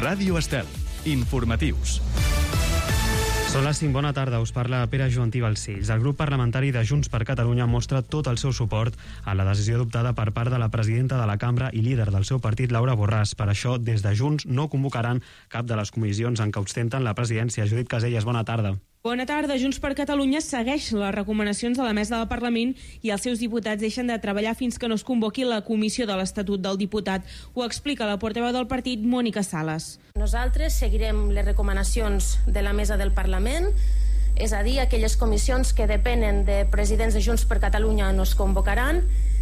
Ràdio Estel. Informatius. Són les 5, bona tarda, us parla Pere Joantí Balcells. El grup parlamentari de Junts per Catalunya mostra tot el seu suport a la decisió adoptada per part de la presidenta de la cambra i líder del seu partit, Laura Borràs. Per això, des de Junts no convocaran cap de les comissions en què ostenten la presidència. Judit Caselles, bona tarda. Bona tarda. Junts per Catalunya segueix les recomanacions de la mesa del Parlament i els seus diputats deixen de treballar fins que no es convoqui la comissió de l'Estatut del Diputat. Ho explica la portaveu del partit, Mònica Sales. Nosaltres seguirem les recomanacions de la mesa del Parlament, és a dir, aquelles comissions que depenen de presidents de Junts per Catalunya no es convocaran,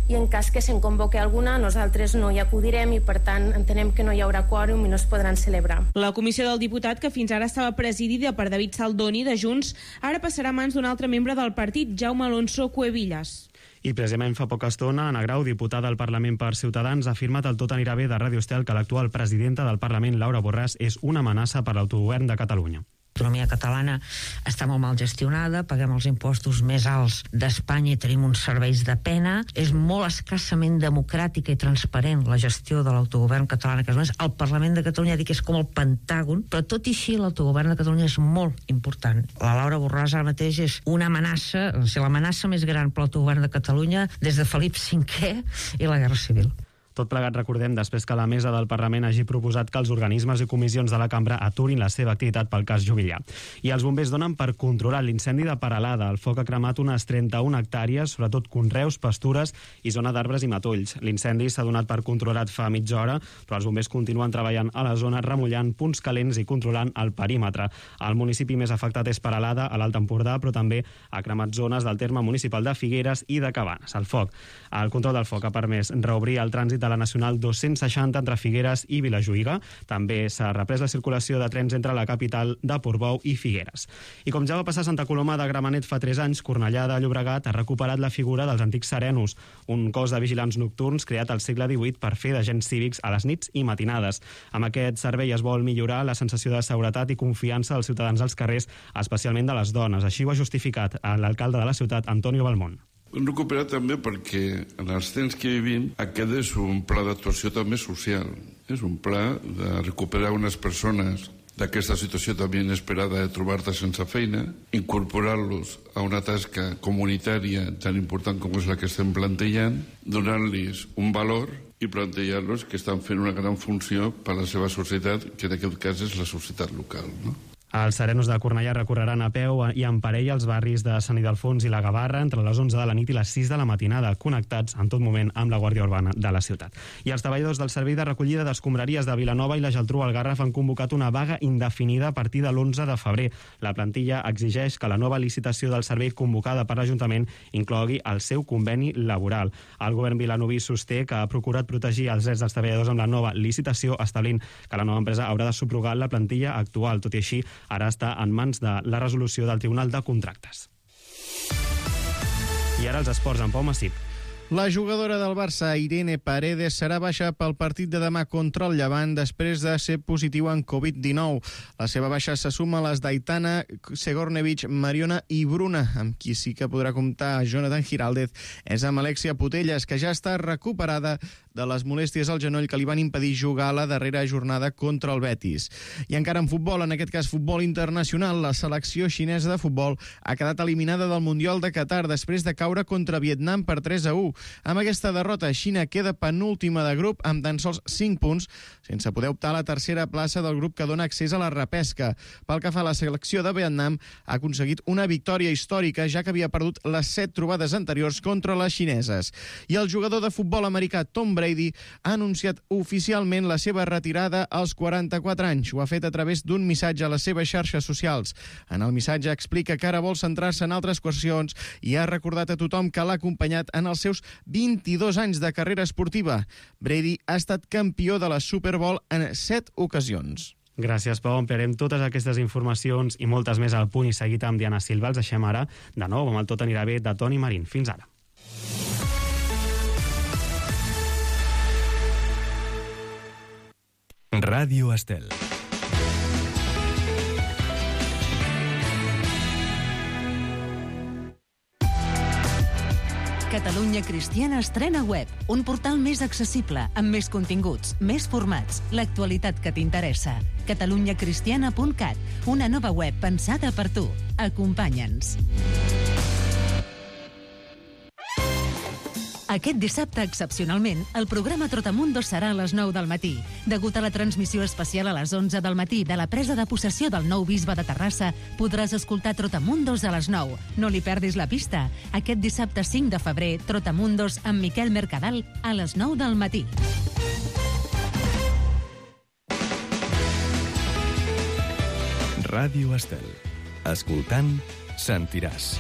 i en cas que se'n convoqui alguna, nosaltres no hi acudirem i, per tant, entenem que no hi haurà quòrum i no es podran celebrar. La comissió del diputat, que fins ara estava presidida per David Saldoni, de Junts, ara passarà a mans d'un altre membre del partit, Jaume Alonso Cuevillas. I precisament fa poca estona, Anna Grau, diputada al Parlament per Ciutadans, ha afirmat al Tot anirà bé de Ràdio Estel que l'actual presidenta del Parlament, Laura Borràs, és una amenaça per l'autogovern de Catalunya. L'economia catalana està molt mal gestionada, paguem els impostos més alts d'Espanya i tenim uns serveis de pena. És molt escassament democràtica i transparent la gestió de l'autogovern català. El Parlament de Catalunya dic que és com el Pentàgon, però tot i així l'autogovern de Catalunya és molt important. La Laura Borràs ara mateix és una amenaça, l'amenaça més gran per l'autogovern de Catalunya des de Felip V i la Guerra Civil. Tot plegat, recordem, després que la mesa del Parlament hagi proposat que els organismes i comissions de la cambra aturin la seva activitat pel cas Juvillà. I els bombers donen per controlar l'incendi de Peralada. El foc ha cremat unes 31 hectàrees, sobretot conreus, pastures i zona d'arbres i matolls. L'incendi s'ha donat per controlat fa mitja hora, però els bombers continuen treballant a la zona, remullant punts calents i controlant el perímetre. El municipi més afectat és Peralada, a l'Alt Empordà, però també ha cremat zones del terme municipal de Figueres i de Cabanes. El control del foc ha permès reobrir el trànsit de la Nacional 260 entre Figueres i Vilajuïga. També s'ha reprès la circulació de trens entre la capital de Portbou i Figueres. I com ja va passar a Santa Coloma de Gramenet fa 3 anys, Cornellà de Llobregat ha recuperat la figura dels antics serenos, un cos de vigilants nocturns creat al segle XVIII per fer d'agents cívics a les nits i matinades. Amb aquest servei es vol millorar la sensació de seguretat i confiança dels ciutadans als carrers, especialment de les dones. Així ho ha justificat l'alcalde de la ciutat, Antonio Balmón. Hem recuperat també perquè en els temps que vivim aquest és un pla d'actuació també social. És un pla de recuperar unes persones d'aquesta situació també inesperada de trobar-te sense feina, incorporar-los a una tasca comunitària tan important com és la que estem plantejant, donar-los un valor i plantejar-los que estan fent una gran funció per a la seva societat, que en aquest cas és la societat local, no? Els serenos de Cornellà recorreran a peu i en parella als barris de Sant Ildefons i la Gavarra entre les 11 de la nit i les 6 de la matinada, connectats en tot moment amb la Guàrdia Urbana de la ciutat. I els treballadors del Servei de Recollida d'Escombraries de Vilanova i la Geltrú al Garraf han convocat una vaga indefinida a partir de l'11 de febrer. La plantilla exigeix que la nova licitació del servei convocada per l'Ajuntament inclogui el seu conveni laboral. El govern vilanoví sosté que ha procurat protegir els drets dels treballadors amb la nova licitació, establint que la nova empresa haurà de subrogar la plantilla actual. Tot i així, ara està en mans de la resolució del Tribunal de Contractes. I ara els esports amb Pau Massip. La jugadora del Barça, Irene Paredes, serà baixa pel partit de demà contra el Llevant després de ser positiu en Covid-19. La seva baixa se suma a les d'Aitana, Segornevich, Mariona i Bruna. Amb qui sí que podrà comptar Jonathan Giraldez és amb Alexia Putelles, que ja està recuperada de les molèsties al genoll que li van impedir jugar a la darrera jornada contra el Betis. I encara en futbol, en aquest cas futbol internacional, la selecció xinesa de futbol ha quedat eliminada del Mundial de Qatar després de caure contra Vietnam per 3-1. Amb aquesta derrota, Xina queda penúltima de grup amb tan sols 5 punts, sense poder optar a la tercera plaça del grup que dona accés a la repesca. Pel que fa a la selecció de Vietnam, ha aconseguit una victòria històrica, ja que havia perdut les 7 trobades anteriors contra les xineses. I el jugador de futbol americà Tom Brady ha anunciat oficialment la seva retirada als 44 anys. Ho ha fet a través d'un missatge a les seves xarxes socials. En el missatge explica que ara vol centrar-se en altres qüestions i ha recordat a tothom que l'ha acompanyat en els seus 22 anys de carrera esportiva. Brady ha estat campió de la Super Bowl en 7 ocasions. Gràcies, Pau. Ampliarem totes aquestes informacions i moltes més al punt i seguit amb Diana Silva. Els deixem ara de nou amb el Tot anirà bé de Toni Marín. Fins ara. Ràdio Estel. Catalunya Cristiana estrena web, un portal més accessible, amb més continguts, més formats, l'actualitat que t'interessa. catalunyacristiana.cat, una nova web pensada per tu. Acompanya'ns. Aquest dissabte, excepcionalment, el programa Trotamundos serà a les 9 del matí. Degut a la transmissió especial a les 11 del matí de la presa de possessió del nou bisbe de Terrassa, podràs escoltar Trotamundos a les 9. No li perdis la pista. Aquest dissabte 5 de febrer, Trotamundos amb Miquel Mercadal a les 9 del matí. Ràdio Estel. Escoltant, sentiràs.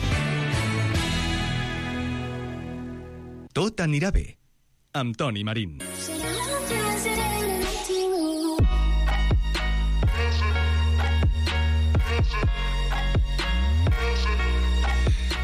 Tot anirà bé, amb Toni Marín.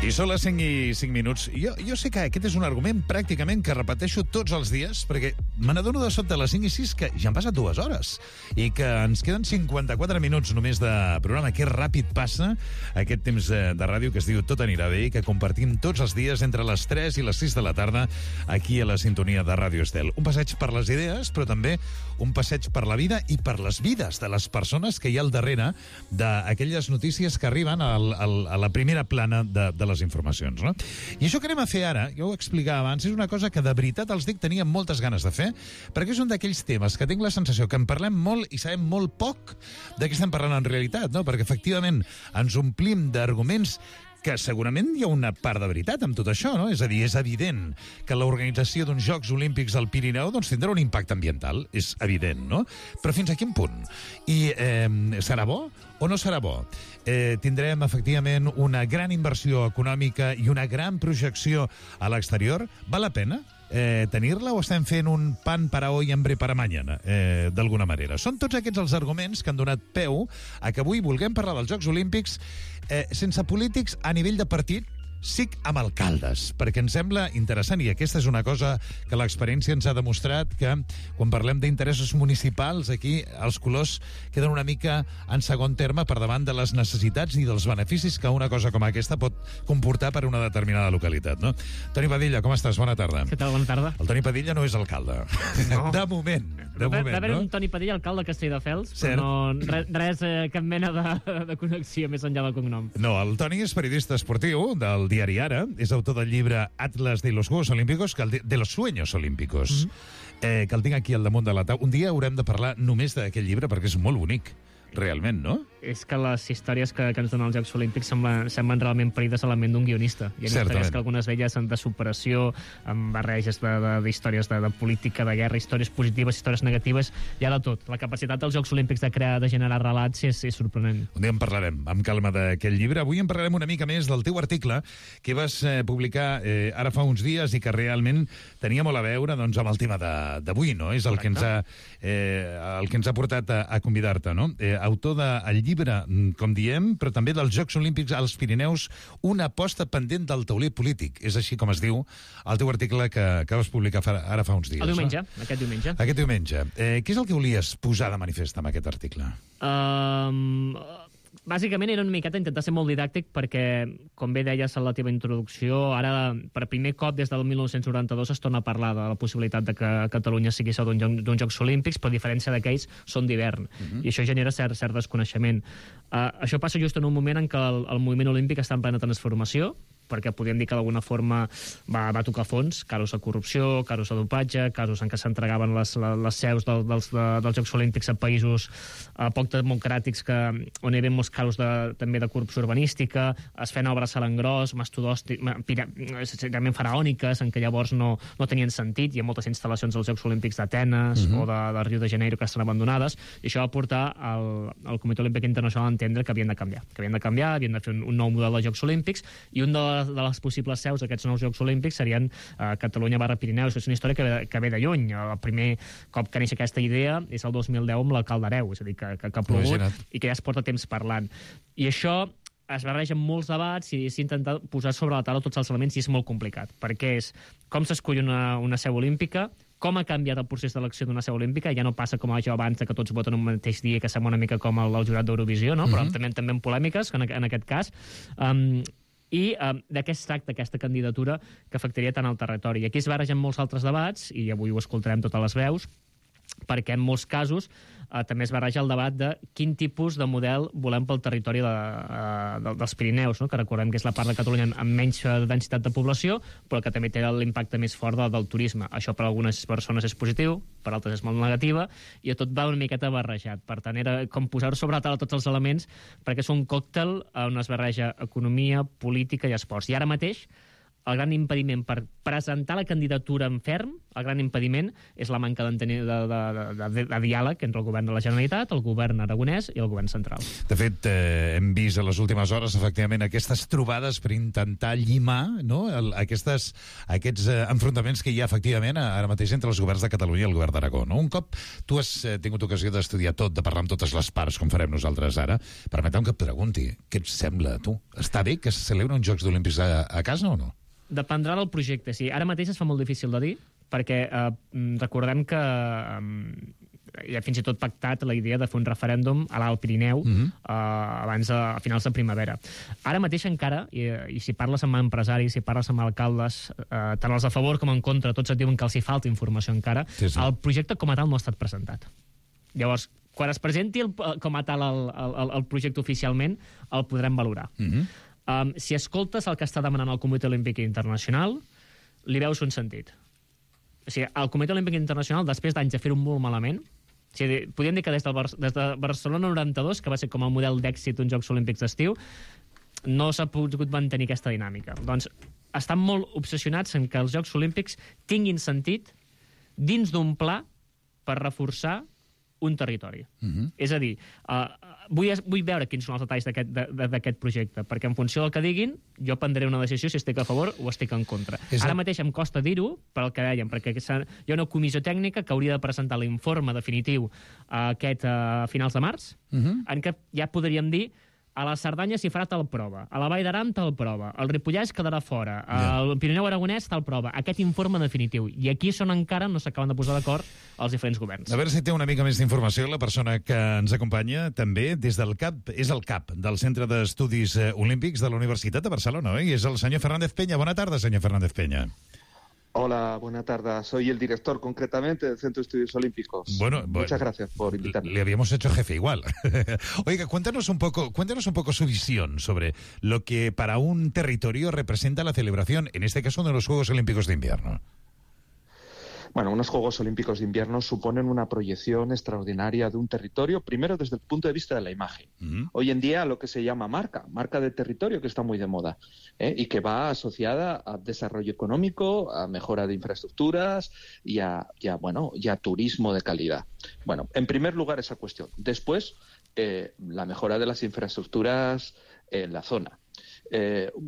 I són les 5 i 5 minuts. Jo sé que aquest és un argument pràcticament que repeteixo tots els dies, perquè me n'adono de sobte a les 5 i 6 que ja han passat 2 hores i que ens queden 54 minuts només de programa. Que ràpid passa aquest temps de ràdio que es diu Tot anirà bé i que compartim tots els dies entre les 3 i les 6 de la tarda aquí a la sintonia de Ràdio Estel. Un passeig per les idees, però també un passeig per la vida i per les vides de les persones que hi ha al darrere d'aquelles notícies que arriben a la primera plana de les informacions, no? I això que anem a fer ara, jo ho explicava abans, és una cosa que de veritat els dic tenia moltes ganes de fer, perquè és un d'aquells temes que tinc la sensació que en parlem molt i sabem molt poc de què estem parlant en realitat, no? Perquè efectivament ens omplim d'arguments que segurament hi ha una part de veritat amb tot això, no? És a dir, és evident que l'organització d'uns Jocs Olímpics al Pirineu doncs, tindrà un impacte ambiental, és evident, no? Però fins a quin punt? I serà bo o no serà bo? Tindrem, efectivament, una gran inversió econòmica i una gran projecció a l'exterior? Val la pena tenir-la o estem fent un pan para hoy, hambre para mañana, d'alguna manera? Són tots aquests els arguments que han donat peu a que avui vulguem parlar dels Jocs Olímpics sense polítics a nivell de partit, sí amb alcaldes, perquè ens sembla interessant, i aquesta és una cosa que l'experiència ens ha demostrat, que quan parlem d'interessos municipals, aquí els colors queden una mica en segon terme per davant de les necessitats i dels beneficis que una cosa com aquesta pot comportar per una determinada localitat, no? Toni Padilla, com estàs? Bona tarda. Què tal? Bona tarda. El Toni Padilla no és alcalde. No. De moment. Va haver un Toni Padilla, alcalde de Castelldefels, però no, res, cap mena de connexió més enllà del cognom. No, el Toni és periodista esportiu del diari Ara, és autor del llibre Atlas de los Juegos Olímpicos, de los Sueños Olímpicos, que el tinc aquí al damunt de la taula. Un dia haurem de parlar només d'aquest llibre perquè és molt bonic, realment, no? És que les històries que ens donen els Jocs Olímpics semblen realment parides a la ment d'un guionista. Hi ha històries que algunes d'elles són de superació, amb barreges d'històries de política, de guerra, històries positives, històries negatives, hi ha de tot. La capacitat dels Jocs Olímpics de generar relats és sorprenent. Un dia en parlarem amb calma d'aquest llibre. Avui en parlarem una mica més del teu article que vas publicar ara fa uns dies i que realment tenia molt a veure doncs, amb el tema d'avui, no? És el que ens ha portat a convidar-te, no? Autor del llibre, com diem, però també dels Jocs Olímpics als Pirineus, una aposta pendent del tauler polític. És així com es diu el teu article que vas publicar ara fa uns dies. El diumenge, no? Aquest diumenge. Aquest diumenge. Què és el que volies posar de manifest amb aquest article? Bàsicament era una miqueta intentar ser molt didàctic perquè, com bé deies en la teva introducció, ara per primer cop des del 1992 es torna a parlar de la possibilitat de que Catalunya sigui seu d'uns Jocs Olímpics, però a diferència d'aquells són d'hivern, i això genera cert desconeixement. Això passa just en un moment en què el moviment olímpic està en plena transformació, perquè podríem dir que d'alguna forma va tocar fons, casos de corrupció, casos de dopatge, casos en què s'entregaven les seus dels Jocs Olímpics a països poc democràtics on hi havia molts casos també de corrupció urbanística, es feien obres a l'engròs, realment faraòniques, en què llavors no tenien sentit. Hi ha moltes instal·lacions als Jocs Olímpics d'Atenes o de Rio de Janeiro que estan abandonades, i això va portar al Comitè Olímpic Internacional a entendre que havien de canviar, havien de fer un nou model de Jocs Olímpics, i un de les possibles seus d'aquests nous Jocs Olímpics serien Catalunya/Pirineus. És una història que ve de lluny. El primer cop que neix aquesta idea és el 2010 amb l'alcalde d'Areu, és a dir, que ha plogut i que ja es porta temps parlant. I això es barreja amb molts debats i s'intenta posar sobre la taula tots els elements, i és molt complicat, perquè és com s'escull una seu olímpica, com ha canviat el procés d'elecció d'una seu olímpica, ja no passa com això abans que tots voten un mateix dia, que sembla una mica com el jurat d'Eurovisió, no? Però també en polèmiques, en aquest cas, I de què es tracta aquesta candidatura que afectaria tant el territori. Aquí es barregen molts altres debats, i avui ho escoltarem totes les veus, perquè en molts casos també es barreja el debat de quin tipus de model volem pel territori dels Pirineus, no? Que recordem que és la part de Catalunya amb menys densitat de població, però que també té l'impacte més fort del turisme. Això per a algunes persones és positiu, per altres és molt negativa, i tot va una miqueta barrejat. Per tant, era com posar sobre la taula tots els elements, perquè és un còctel on es barreja economia, política i esports. I ara mateix, el gran impediment per presentar la candidatura en ferm, el gran impediment és la manca de diàleg entre el govern de la Generalitat, el govern aragonès i el govern central. De fet, hem vist a les últimes hores, efectivament, aquestes trobades per intentar llimar, no?, aquests enfrontaments que hi ha, efectivament, ara mateix entre els governs de Catalunya i el govern d'Aragó. No? Un cop tu has tingut ocasió d'estudiar tot, de parlar amb totes les parts, com farem nosaltres ara, permeteu que et pregunti, què et sembla, tu? Està bé que se celebren uns Jocs Olímpics a casa o no? Dependrà del projecte, sí. Ara mateix es fa molt difícil de dir, perquè recordem que hi ha fins i tot pactat la idea de fer un referèndum a l'Alt Pirineu abans a finals de primavera. Ara mateix encara, i si parles amb empresaris, si parles amb alcaldes, tant els a favor com en contra, tots et diuen que els hi falta informació encara, sí. El projecte com a tal no ha estat presentat. Llavors, quan es presenti com a tal el projecte oficialment, el podrem valorar. Si escoltes el que està demanant el Comitè Olímpic Internacional, li veus un sentit. O sigui, el Comitè Olímpic Internacional, després d'anys de fer-ho molt malament, o sigui, podríem dir que des de Barcelona 92, que va ser com el model d'èxit d'uns Jocs Olímpics d'estiu, no s'ha pogut mantenir aquesta dinàmica. Doncs estan molt obsessionats en que els Jocs Olímpics tinguin sentit dins d'un pla per reforçar un territori. És a dir, vull veure quins són els detalls d'aquest projecte, perquè en funció del que diguin, jo prendré una decisió si estic a favor o estic en contra. Ara mateix em costa dir-ho, per al que dèiem, perquè hi ha una comissió tècnica que hauria de presentar l'informe definitiu a finals de març, en què ja podríem dir a la Cerdanya s'hi farà tal prova, a la Vall d'Aran tal prova, el Ripollès quedarà fora, al Pirineu Aragonès tal prova, aquest informe definitiu. I aquí és on encara no s'acaben de posar d'acord els diferents governs. A veure si té una mica més d'informació la persona que ens acompanya, també des del CAP, és el CAP, del Centre d'Estudis Olímpics de la Universitat de Barcelona, i és el senyor Fernández Peña. Bona tarda, senyor Fernández Peña. Hola, buena tarde. Soy el director, concretamente, del Centro de Estudios Olímpicos. Muchas gracias por invitarme. Le habíamos hecho jefe igual. Oiga, cuéntanos un poco su visión sobre lo que para un territorio representa la celebración, en este caso, de los Juegos Olímpicos de Invierno. Bueno, unos Juegos Olímpicos de Invierno suponen una proyección extraordinaria de un territorio, primero desde el punto de vista de la imagen. Hoy en día lo que se llama marca de territorio, que está muy de moda, y que va asociada a desarrollo económico, a mejora de infraestructuras y a turismo de calidad. Bueno, en primer lugar esa cuestión. Después, la mejora de las infraestructuras en la zona.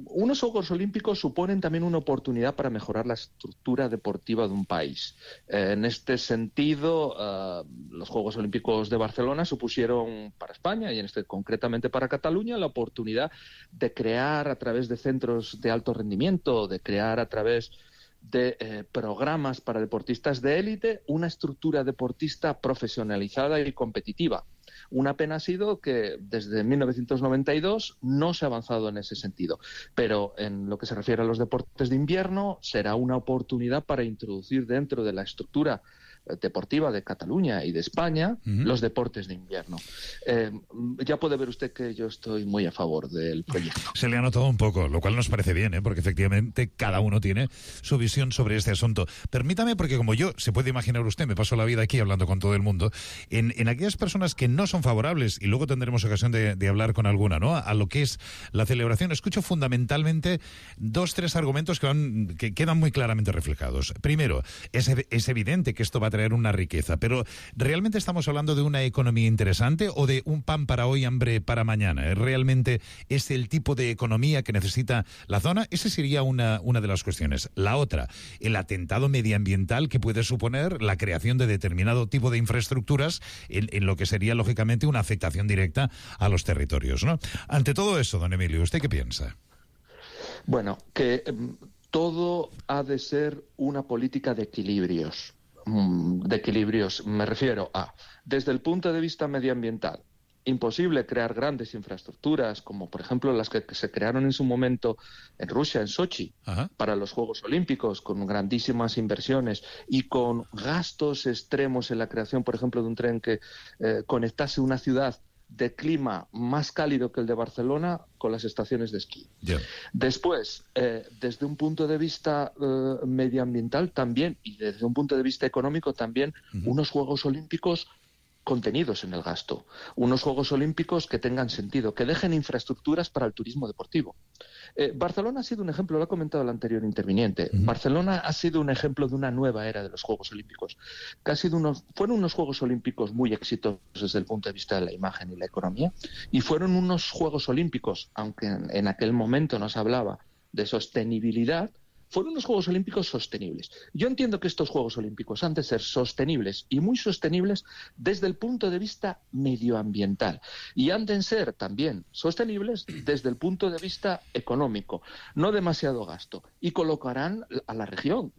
Unos Juegos Olímpicos suponen también una oportunidad para mejorar la estructura deportiva de un país. En este sentido, los Juegos Olímpicos de Barcelona supusieron para España, y concretamente para Cataluña, la oportunidad de crear a través de centros de alto rendimiento, de crear a través de programas para deportistas de élite, una estructura deportista profesionalizada y competitiva. Una pena ha sido que desde 1992 no se ha avanzado en ese sentido, pero en lo que se refiere a los deportes de invierno será una oportunidad para introducir dentro de la estructura deportiva de Cataluña y de España los deportes de invierno. Ya puede ver usted que yo estoy muy a favor del proyecto. Se le ha notado un poco, lo cual nos parece bien, porque efectivamente cada uno tiene su visión sobre este asunto. Permítame, porque como yo, se puede imaginar usted, me paso la vida aquí hablando con todo el mundo, en aquellas personas que no son favorables, y luego tendremos ocasión de hablar con alguna, ¿no?, a lo que es la celebración, escucho fundamentalmente 2-3 argumentos que quedan muy claramente reflejados. Primero, es evidente que esto va a traer una riqueza, pero ¿realmente estamos hablando de una economía interesante o de un pan para hoy, hambre para mañana? ¿Realmente es el tipo de economía que necesita la zona? Esa sería una de las cuestiones. La otra, el atentado medioambiental que puede suponer la creación de determinado tipo de infraestructuras en lo que sería, lógicamente, una afectación directa a los territorios, ¿no? Ante todo eso, don Emilio, ¿usted qué piensa? Bueno, que todo ha de ser una política de equilibrios. Me refiero a, desde el punto de vista medioambiental, imposible crear grandes infraestructuras, como por ejemplo las que se crearon en su momento en Rusia, en Sochi, para los Juegos Olímpicos, con grandísimas inversiones y con gastos extremos en la creación, por ejemplo, de un tren que conectase una ciudad de clima más cálido que el de Barcelona con las estaciones de esquí. Después, desde un punto de vista medioambiental también, y desde un punto de vista económico también, unos Juegos Olímpicos contenidos en el gasto, unos Juegos Olímpicos que tengan sentido, que dejen infraestructuras para el turismo deportivo. Barcelona ha sido un ejemplo, lo ha comentado el anterior interviniente, Barcelona ha sido un ejemplo de una nueva era de los Juegos Olímpicos, que fueron unos Juegos Olímpicos muy exitosos desde el punto de vista de la imagen y la economía, y fueron unos Juegos Olímpicos, aunque en aquel momento no se hablaba de sostenibilidad, fueron unos Juegos Olímpicos sostenibles. Yo entiendo que estos Juegos Olímpicos han de ser sostenibles y muy sostenibles desde el punto de vista medioambiental y han de ser también sostenibles desde el punto de vista económico, no demasiado gasto, y colocarán a la región,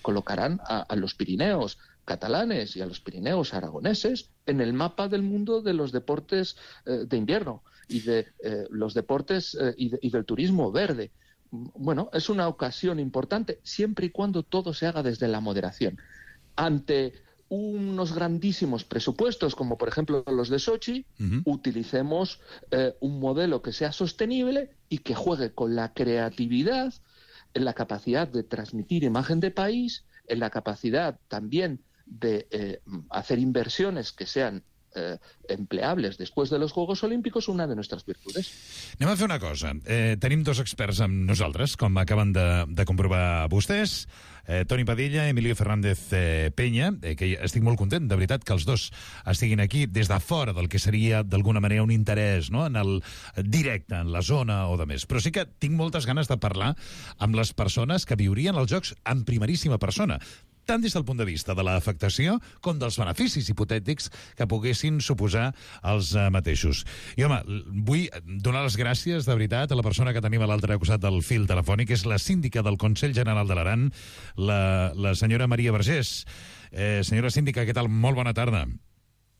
colocarán a los Pirineos catalanes y a los Pirineos aragoneses en el mapa del mundo de los deportes de invierno y de los deportes y del turismo verde. Bueno, es una ocasión importante siempre y cuando todo se haga desde la moderación. Ante unos grandísimos presupuestos, como por ejemplo los de Sochi, utilicemos un modelo que sea sostenible y que juegue con la creatividad, en la capacidad de transmitir imagen de país, en la capacidad también de hacer inversiones que sean empleables després de los Juegos Olímpicos, una de nuestras virtudes. Anem a fer una cosa. Tenim dos experts amb nosaltres, com acaben de comprovar vostès, Toni Padilla, Emilio Fernández Peña, que estic molt content, de veritat, que els dos estiguin aquí des de fora del que seria, d'alguna manera, un interès, no?, en el directe, en la zona o de més. Però sí que tinc moltes ganes de parlar amb les persones que viurien els Jocs en primeríssima persona, tant des del punt de vista de l'afectació com dels beneficis hipotètics que poguessin suposar els mateixos. I, home, vull donar les gràcies, de veritat, a la persona que tenim a l'altre costat del fil telefònic, que és la síndica del Consell General de l'Aran, la senyora Maria Vergés. Senyora síndica, què tal? Molt bona tarda.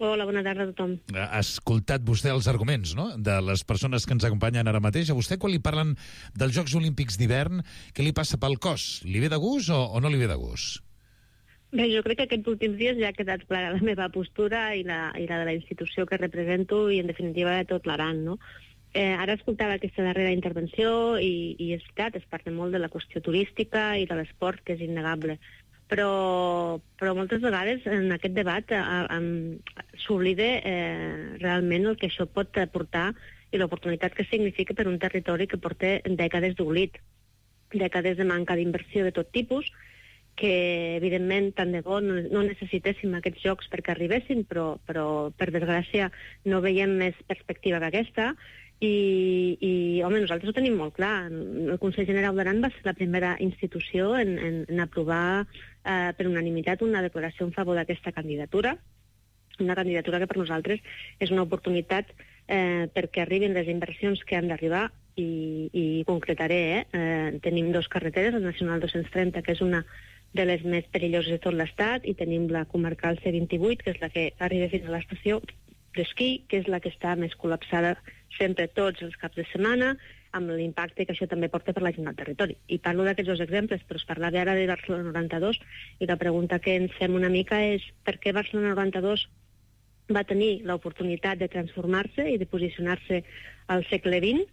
Hola, bona tarda a tothom. Ha escoltat vostè els arguments, no?, de les persones que ens acompanyen ara mateix. A vostè, quan li parlen dels Jocs Olímpics d'hivern, què li passa pel cos? Li ve de gust o no li ve de gust? Bé, jo crec que aquests últims dies ja ha quedat clara la meva postura i la de la institució que represento i, en definitiva, de tot l'Aran, no? Ara escoltava aquesta darrera intervenció i és veritat, es parla molt de la qüestió turística i de l'esport, que és innegable. Però moltes vegades en aquest debat s'oblida realment el que això pot aportar i l'oportunitat que significa per un territori que porta dècades d'oblit, dècades de manca d'inversió de tot tipus, que evidentment tant de bo no necessitéssim aquests jocs perquè arribessin, però per desgràcia no veiem més perspectiva que aquesta i home, nosaltres ho tenim molt clar. El Consell General d'Aran va ser la primera institució en aprovar per unanimitat una declaració en favor d'aquesta candidatura, una candidatura que per nosaltres és una oportunitat perquè arribin les inversions que han d'arribar i concretaré, tenim dos carreteres, la Nacional 230, que és una de les més perilloses de tot l'estat, i tenim la comarcal C28, que és la que arriba fins a l'estació d'esquí, que és la que està més col·lapsada sempre tots els caps de setmana, amb l'impacte que això també porta per la gent al territori. I parlo d'aquests dos exemples, però es parlava ara de Barcelona 92, i la pregunta que ens fem una mica és per què Barcelona 92 va tenir l'oportunitat de transformar-se i de posicionar-se al segle XX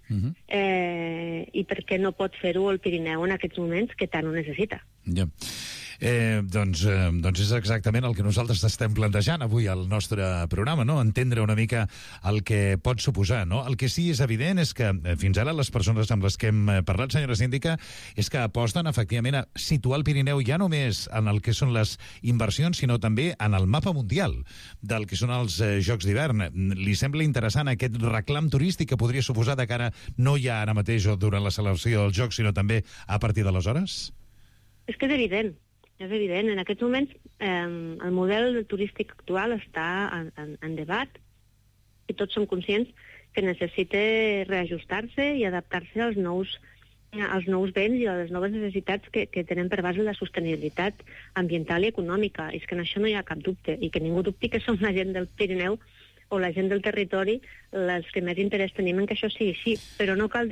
i per què no pot fer-ho el Pirineu en aquests moments que tant ho necessita. Ja. Doncs és exactament el que nosaltres estem plantejant avui al nostre programa, no? Entendre una mica el que pot suposar, no? El que sí és evident és que fins ara les persones amb les que hem parlat, senyora síndica, és que aposten efectivament a situar el Pirineu ja només en el que són les inversions, sinó també en el mapa mundial del que són els Jocs d'hivern. Li sembla interessant aquest reclam turístic que podria suposar de cara no ja ara mateix o durant la celebració dels Jocs, sinó també a partir d'aleshores? És que és evident. És evident, en aquests moments el model turístic actual està en debat i tots som conscients que necessita reajustar-se i adaptar-se als nous béns i a les noves necessitats que tenen per base la sostenibilitat ambiental i econòmica. És que en això no hi ha cap dubte i que ningú dubti que som la gent del Pirineu o la gent del territori els que més interès tenim en que això sigui així. Però no cal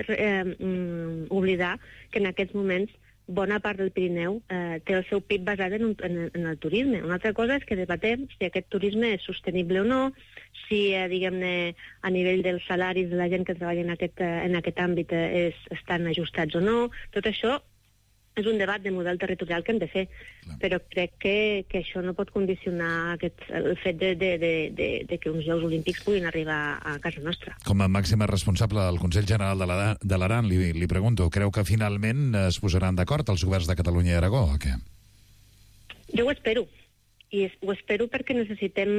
oblidar que en aquests moments bona part del Pirineu té el seu PIB basat en el turisme. Una altra cosa és que debatem si aquest turisme és sostenible o no, si, diguem-ne, a nivell dels salaris de la gent que treballa en aquest àmbit estan ajustats o no. Tot això és un debat de model territorial que hem de fer, però crec que això no pot condicionar el fet de que uns Jocs Olímpics puguin arribar a casa nostra. Com a màxima responsable del Consell General de l'Aran, li pregunto, creu que finalment es posaran d'acord els governs de Catalunya i Aragó o què? Jo ho espero, i ho espero perquè necessitem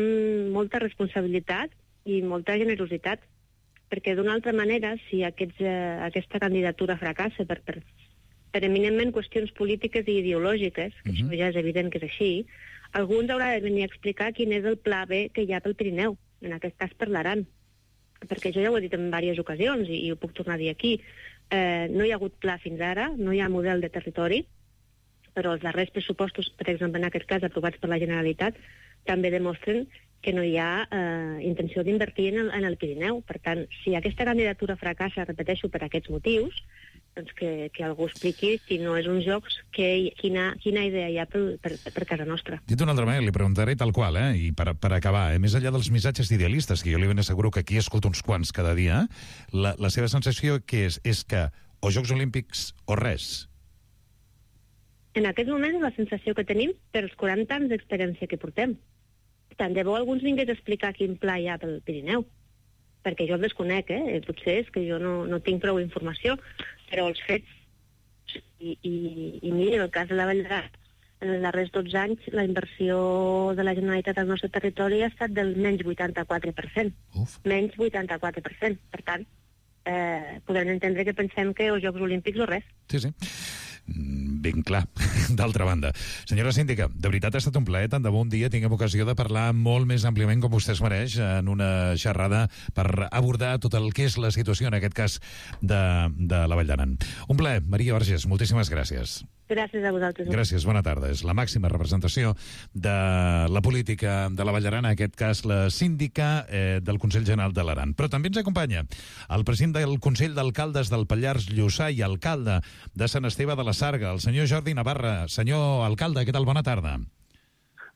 molta responsabilitat i molta generositat, perquè d'una altra manera, si aquesta candidatura fracassa per eminentment qüestions polítiques i ideològiques, que això ja és evident que és així, algú ens haurà de venir a explicar quin és el pla B que hi ha pel Pirineu, en aquest cas per l'Aran. Perquè jo ja ho he dit en diverses ocasions i ho puc tornar a dir aquí. No hi ha hagut pla fins ara, no hi ha model de territori, però els darrers pressupostos, per exemple, en aquest cas aprovats per la Generalitat, també demostren que no hi ha intenció d'invertir en el Pirineu. Per tant, si aquesta candidatura fracassa, repeteixo, per aquests motius, doncs que algú expliqui si no és uns jocs, quina idea hi ha per casa nostra. Dit d'una altra manera, li preguntaré tal qual, i per acabar, més enllà dels missatges idealistes, que jo li ben asseguro que aquí escolto uns quants cada dia, la seva sensació que és que o Jocs Olímpics o res? En aquest moment és la sensació que tenim per els 40 anys d'experiència que portem. Tant de bo algú ens vingués a explicar quin pla hi ha pel Pirineu, perquè jo el desconec, potser és que jo no tinc prou informació, però els fets, i mira, en el cas de la Vall d'Aran, en els darrers 12 anys la inversió de la Generalitat al nostre territori ha estat del menys 84%. Menys 84%. Per tant, podem entendre que pensem que o Jocs Olímpics o res. Sí. Ben clar, d'altra banda. Senyora síndica, de veritat ha estat un plaer, tant de bon dia tinguem ocasió de parlar molt més àmpliament com vostè es mereix en una xerrada per abordar tot el que és la situació, en aquest cas, de la Vall d'Aran. Un plaer, Maria Vergés, moltíssimes gràcies. Gràcies a vosaltres. Gràcies, bona tarda. És la màxima representació de la política de la Vall d'Aran, en aquest cas la síndica del Consell General de l'Aran. Però també ens acompanya el president del Consell d'Alcaldes del Pallars Jussà i alcalde de Sant Esteve de la Sarga, el senyor Jordi Navarra. Senyor alcalde, què tal? Bona tarda.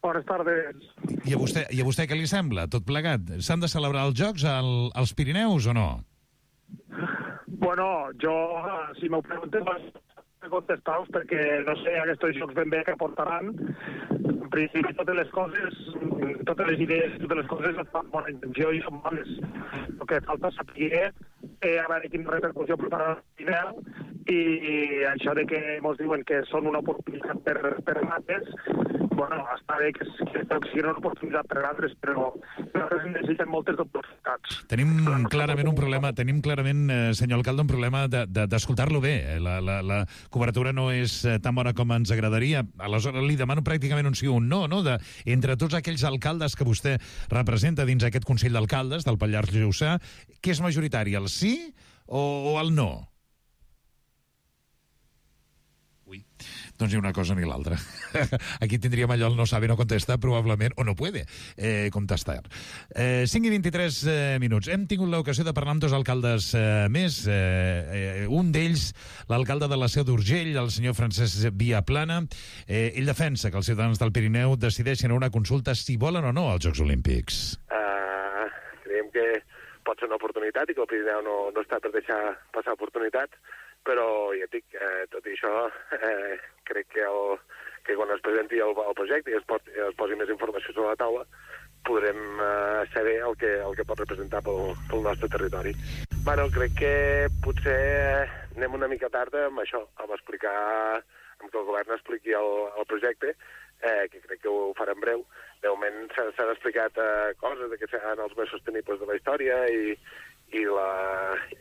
Bones tardes. I a vostè què li sembla, tot plegat? S'han de celebrar els Jocs als Pirineus o no? Bueno, jo, si m'ho preguntes, contestar-vos perquè no sé aquests jocs ben bé que portaran. En principi totes les coses, totes les idees, totes les coses estan amb bona intenció i són bones. El que falta és saber a veure quina repercussió portarà el Pirineu i això de que ens diuen que són una oportunitat per altres, bueno, està bé que sigui una oportunitat per altres, però nosaltres necessitem moltes oportunitats. Tenim clarament un problema, senyor alcalde, un problema d'escoltar-lo bé. La cobertura no és tan bona com ens agradaria. Aleshores li demano pràcticament un sí o un no, entre tots aquells alcaldes que vostè representa dins aquest Consell d'Alcaldes del Pallars Jussà, què és majoritari, el sí o el no? Doncs ni una cosa ni l'altra. Aquí tindríem allò el no sabe, no contesta, probablement, o no puede contestar. 5 i 23 minuts. Hem tingut l'ocasió de parlar amb dos alcaldes més. Un d'ells, l'alcalde de la Seu d'Urgell, el senyor Francesc Viaplana. Ell defensa que els ciutadans del Pirineu decideixin una consulta si volen o no als Jocs Olímpics. Creiem que pot ser una oportunitat i que el Pirineu no està per deixar passar oportunitats, però ja et dic, tot i això, crec que quan es presenti el projecte i es posi més informació sobre la taula, podrem saber el que pot representar pel nostre territori. Bueno, crec que potser anem una mica tard amb això, amb explicar, amb que el govern expliqui el projecte, que crec que ho farà en breu. De moment s'han explicat coses que seran els més sostenibles de la història i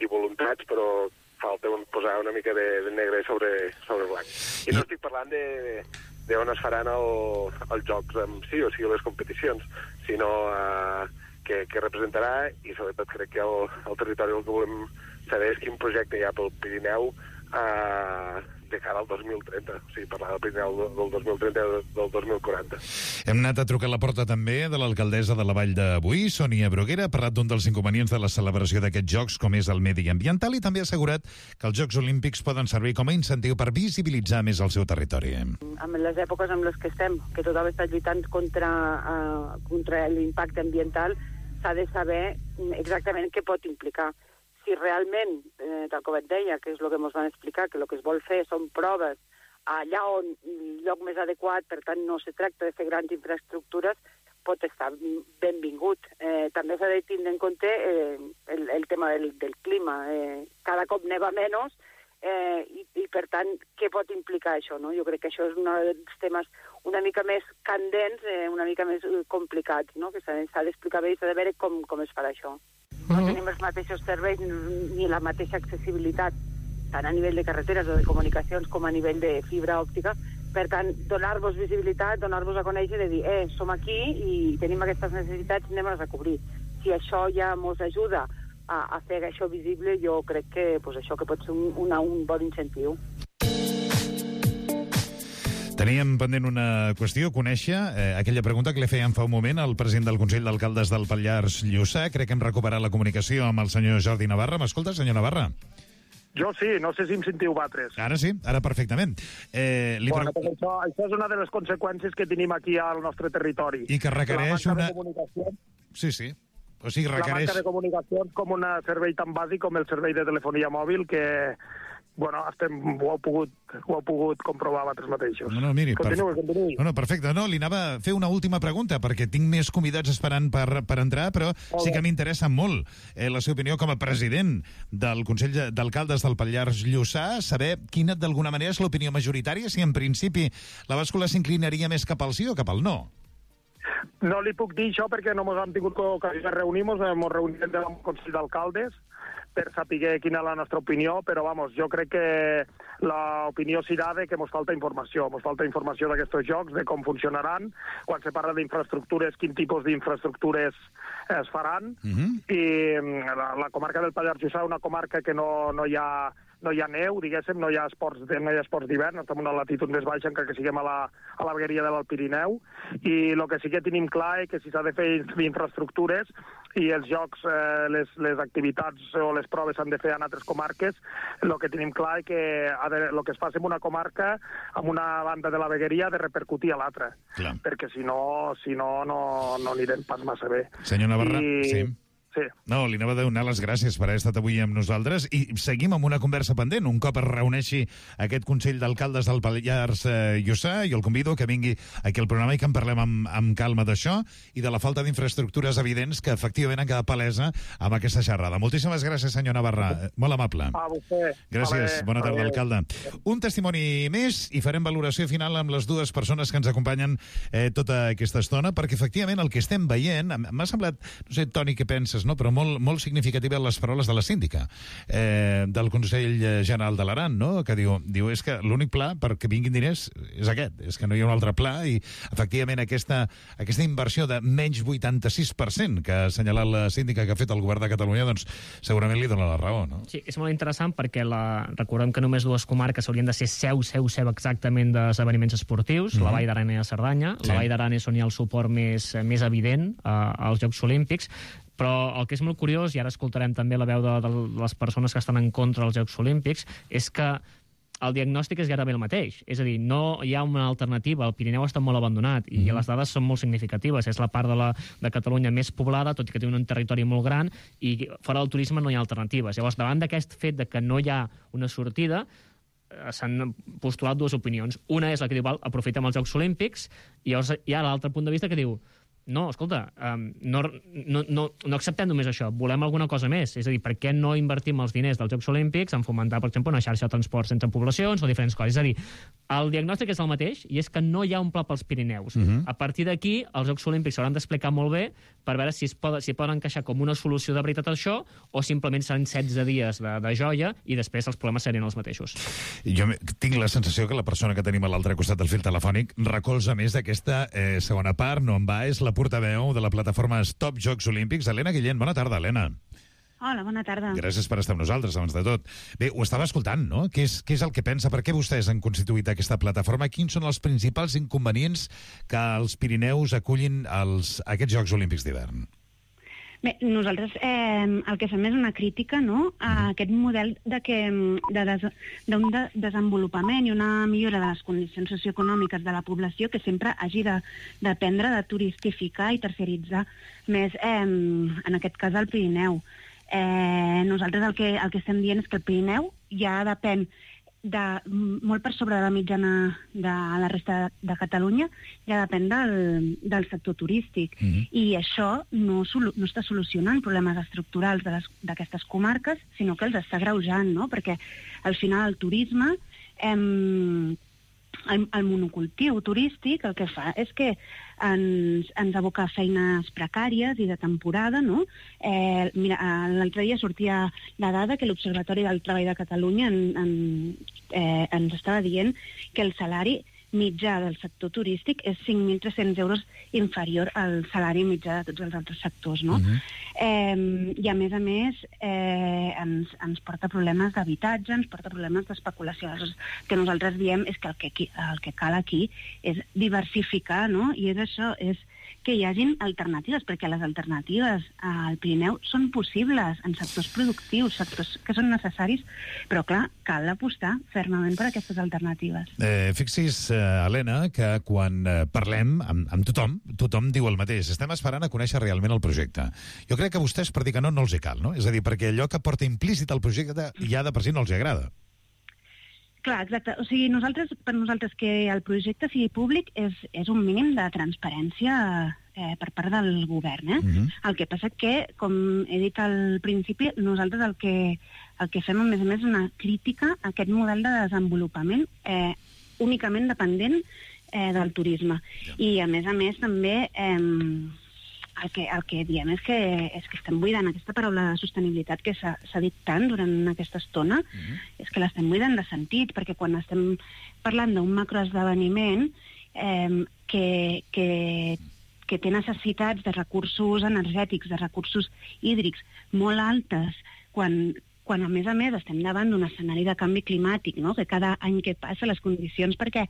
voluntats, però falta posar una mica de negre sobre blanc. I no estic parlant de on es faran els jocs amb sí o sí les competicions, sinó que representarà, i sobretot crec que el territori el que volem saber és quin projecte hi ha pel Pirineu de cara al 2030. O sigui, parlar del Pirineu del 2030 i del 2040. Hem anat a trucar a la porta també de l'alcaldessa de la Vall de Boí, Sònia Bruguera, ha parlat d'un dels inconvenients de la celebració d'aquests jocs, com és el medi ambiental, i també ha assegurat que els Jocs Olímpics poden servir com a incentiu per visibilitzar més el seu territori. En les èpoques en les que estem, que tothom està lluitant contra l'impacte ambiental, s'ha de saber exactament què pot implicar. Si realment, tal com et deia, que és el que ens van explicar, que el que es vol fer són proves allà on el lloc més adequat, per tant no se tracta de fer grans infraestructures, pot estar benvingut. També s'ha de tindre en compte el tema del clima. Cada cop neva menys i per tant, què pot implicar això? No? Jo crec que això és un dels temes una mica més candents, una mica més complicats, no? Que s'ha d'explicar bé i s'ha de veure com es farà això. No tenim els mateixos serveis ni la mateixa accessibilitat, tant a nivell de carreteres o de comunicacions com a nivell de fibra òptica. Per tant, donar-vos visibilitat, donar-vos a conèixer i dir, som aquí i tenim aquestes necessitats, anem-les a cobrir. Si això ja ens ajuda a fer això visible, jo crec que això que pot ser un bon incentiu. Teníem pendent una qüestió, conèixer aquella pregunta que li fèiem fa un moment al president del Consell d'Alcaldes del Pallars Jussà. Crec que hem recuperat la comunicació amb el senyor Jordi Navarra. M'escolta, senyor Navarra? Jo sí, no sé si em sentiu vosaltres. Ara sí, ara perfectament. Això és una de les conseqüències que tenim aquí al nostre territori. I que requereix una... Sí. O sigui, requereix... La manca de comunicació com un servei tan bàsic com el servei de telefonia mòbil que... Bueno, ho heu pogut comprovar vosaltres mateixos. Miri, continuï. Perfecte. Li anava a fer una última pregunta, perquè tinc més convidats esperant per entrar, però sí que m'interessa molt la seva opinió com a president del Consell d'Alcaldes del Pallars Jussà, saber quina, d'alguna manera, és l'opinió majoritària, si en principi la bàscula s'inclinaria més cap al sí o cap al no. No li puc dir això perquè no ens hem tingut ocasió de reunir-nos, ens reunim del Consell d'Alcaldes per saber quina és la nostra opinió, però jo crec que l'opinió serà de que ens falta informació. Ens falta informació d'aquests jocs, de com funcionaran, quan se parla d'infraestructures, quin tipus d'infraestructures es faran, i la comarca del Pallars Jussà és una comarca que no hi ha neu, diguéssim, no hi ha esports d'hivern, estem en una latitud més baixa encara que siguem a la vegueria del Pirineu, i el que sí que tenim clar és que si s'ha de fer infraestructures i els jocs, les activitats o les proves s'han de fer en altres comarques, el que tenim clar és que el que es faci en una comarca, en una banda de la vegueria, ha de repercutir a l'altra, perquè si no anirem pas massa bé. Senyor Navarra, sí. Sí. No, li anava a donar les gràcies per haver estat avui amb nosaltres i seguim amb una conversa pendent. Un cop es reuneixi aquest Consell d'Alcaldes del Pallars Jussà, jo el convido que vingui aquí al programa i que en parlem amb calma d'això i de la falta d'infraestructures evidents que efectivament han quedat palesa amb aquesta xerrada. Moltíssimes gràcies, senyor Navarra. Molt amable. A vostè. Gràcies. Bona tarda, alcalde. Un testimoni més i farem valoració final amb les dues persones que ens acompanyen tota aquesta estona, perquè efectivament el que estem veient, m'ha semblat, no sé, Toni, què penses, no? Però molt significativa les paraules de la síndica del Consell General de l'Aran, no? Que diu és que l'únic pla perquè vinguin diners és aquest, és que no hi ha un altre pla i efectivament aquesta inversió de menys 86% que ha assenyalat la síndica que ha fet el govern de Catalunya, doncs segurament li dona la raó, no? Sí, és molt interessant perquè recordem que només dues comarques haurien de ser seu exactament d'esdeveniments esportius, la Vall d'Aran i la Cerdanya. La Vall d'Aran és on hi ha el suport més evident als Jocs Olímpics, però el que és molt curiós, i ara escoltarem també la veu de les persones que estan en contra dels Jocs Olímpics, és que el diagnòstic és gairebé el mateix. És a dir, no hi ha una alternativa. El Pirineu està molt abandonat i les dades són molt significatives. És la part de Catalunya més poblada, tot i que té un territori molt gran, i fora del turisme no hi ha alternatives. Llavors, davant d'aquest fet de que no hi ha una sortida, s'han postulat dues opinions. Una és la que diu, aprofitem els Jocs Olímpics, i llavors hi ha l'altre punt de vista que diu, no, escolta, no acceptem només això, volem alguna cosa més. És a dir, per què no invertim els diners dels Jocs Olímpics en fomentar, per exemple, una xarxa de transport entre poblacions o diferents coses? És a dir, el diagnòstic és el mateix i és que no hi ha un pla pels Pirineus. A partir d'aquí, els Jocs Olímpics s'hauran d'explicar molt bé per veure si poden encaixar com una solució de veritat això o simplement seran 16 dies de joia i després els problemes serien els mateixos. Jo tinc la sensació que la persona que tenim a l'altre costat del fil telefònic recolza més d'aquesta segona part, no en va, és la portaveu de la plataforma Stop Jocs Olímpics, Helena Guillén. Bona tarda, Helena. Hola, bona tarda. Gràcies per estar amb nosaltres, abans de tot. Bé, ho estava escoltant, no? Què és el que pensa? Per què vostès han constituït aquesta plataforma? Quins són els principals inconvenients que els Pirineus acullin aquests Jocs Olímpics d'hivern? Bé, nosaltres el que fem és una crítica, no?, a aquest model d'un desenvolupament i una millora de les condicions socioeconòmiques de la població que sempre hagi d'aprendre de turistificar i terciaritzar més, en aquest cas, el Pirineu. Nosaltres el que estem dient és que el Pirineu ja depèn molt per sobre de la mitjana de la resta de Catalunya, ja depèn del sector turístic. I això no està solucionant problemes estructurals d'aquestes comarques, sinó que els està agreujant, no? Perquè al final el turisme, el monocultiu turístic, el que fa és que ens aboca feines precàries i de temporada, no? Mira, l'altre dia sortia la dada que l'Observatori del Treball de Catalunya ens estava dient que el salari mitjà del sector turístic és 5.300 euros inferior al salari mitjà de tots els altres sectors, no? I a més, ens porta problemes d'habitatge, ens porta problemes d'especulació. El que nosaltres diem és que el que cal aquí és diversificar, no? I és això, és que hi hagin alternatives, perquè les alternatives al Pirineu són possibles en sectors productius, sectors que són necessaris, però clar, cal apostar fermament per aquestes alternatives. Fixis, Helena, que quan parlem amb tothom diu el mateix. Estem esperant a conèixer realment el projecte. Jo crec que a vostès, per dir que no els hi cal, no? És a dir, perquè allò que porta implícit al projecte ja de per si no els hi agrada. Clar, exacte. O sigui, per nosaltres que el projecte sigui públic és un mínim de transparència per part del govern. El que passa que, com he dit al principi, nosaltres el que fem, a més, és una crítica a aquest model de desenvolupament únicament dependent del turisme. I, a més, també el que diem és que estem buidant aquesta paraula de sostenibilitat que s'ha dit tant durant aquesta estona, és que l'estem buidant de sentit, perquè quan estem parlant d'un macroesdeveniment que té necessitats de recursos energètics, de recursos hídrics molt altes, quan a més estem davant d'un escenari de canvi climàtic, no? Que cada any que passa les condicions perquè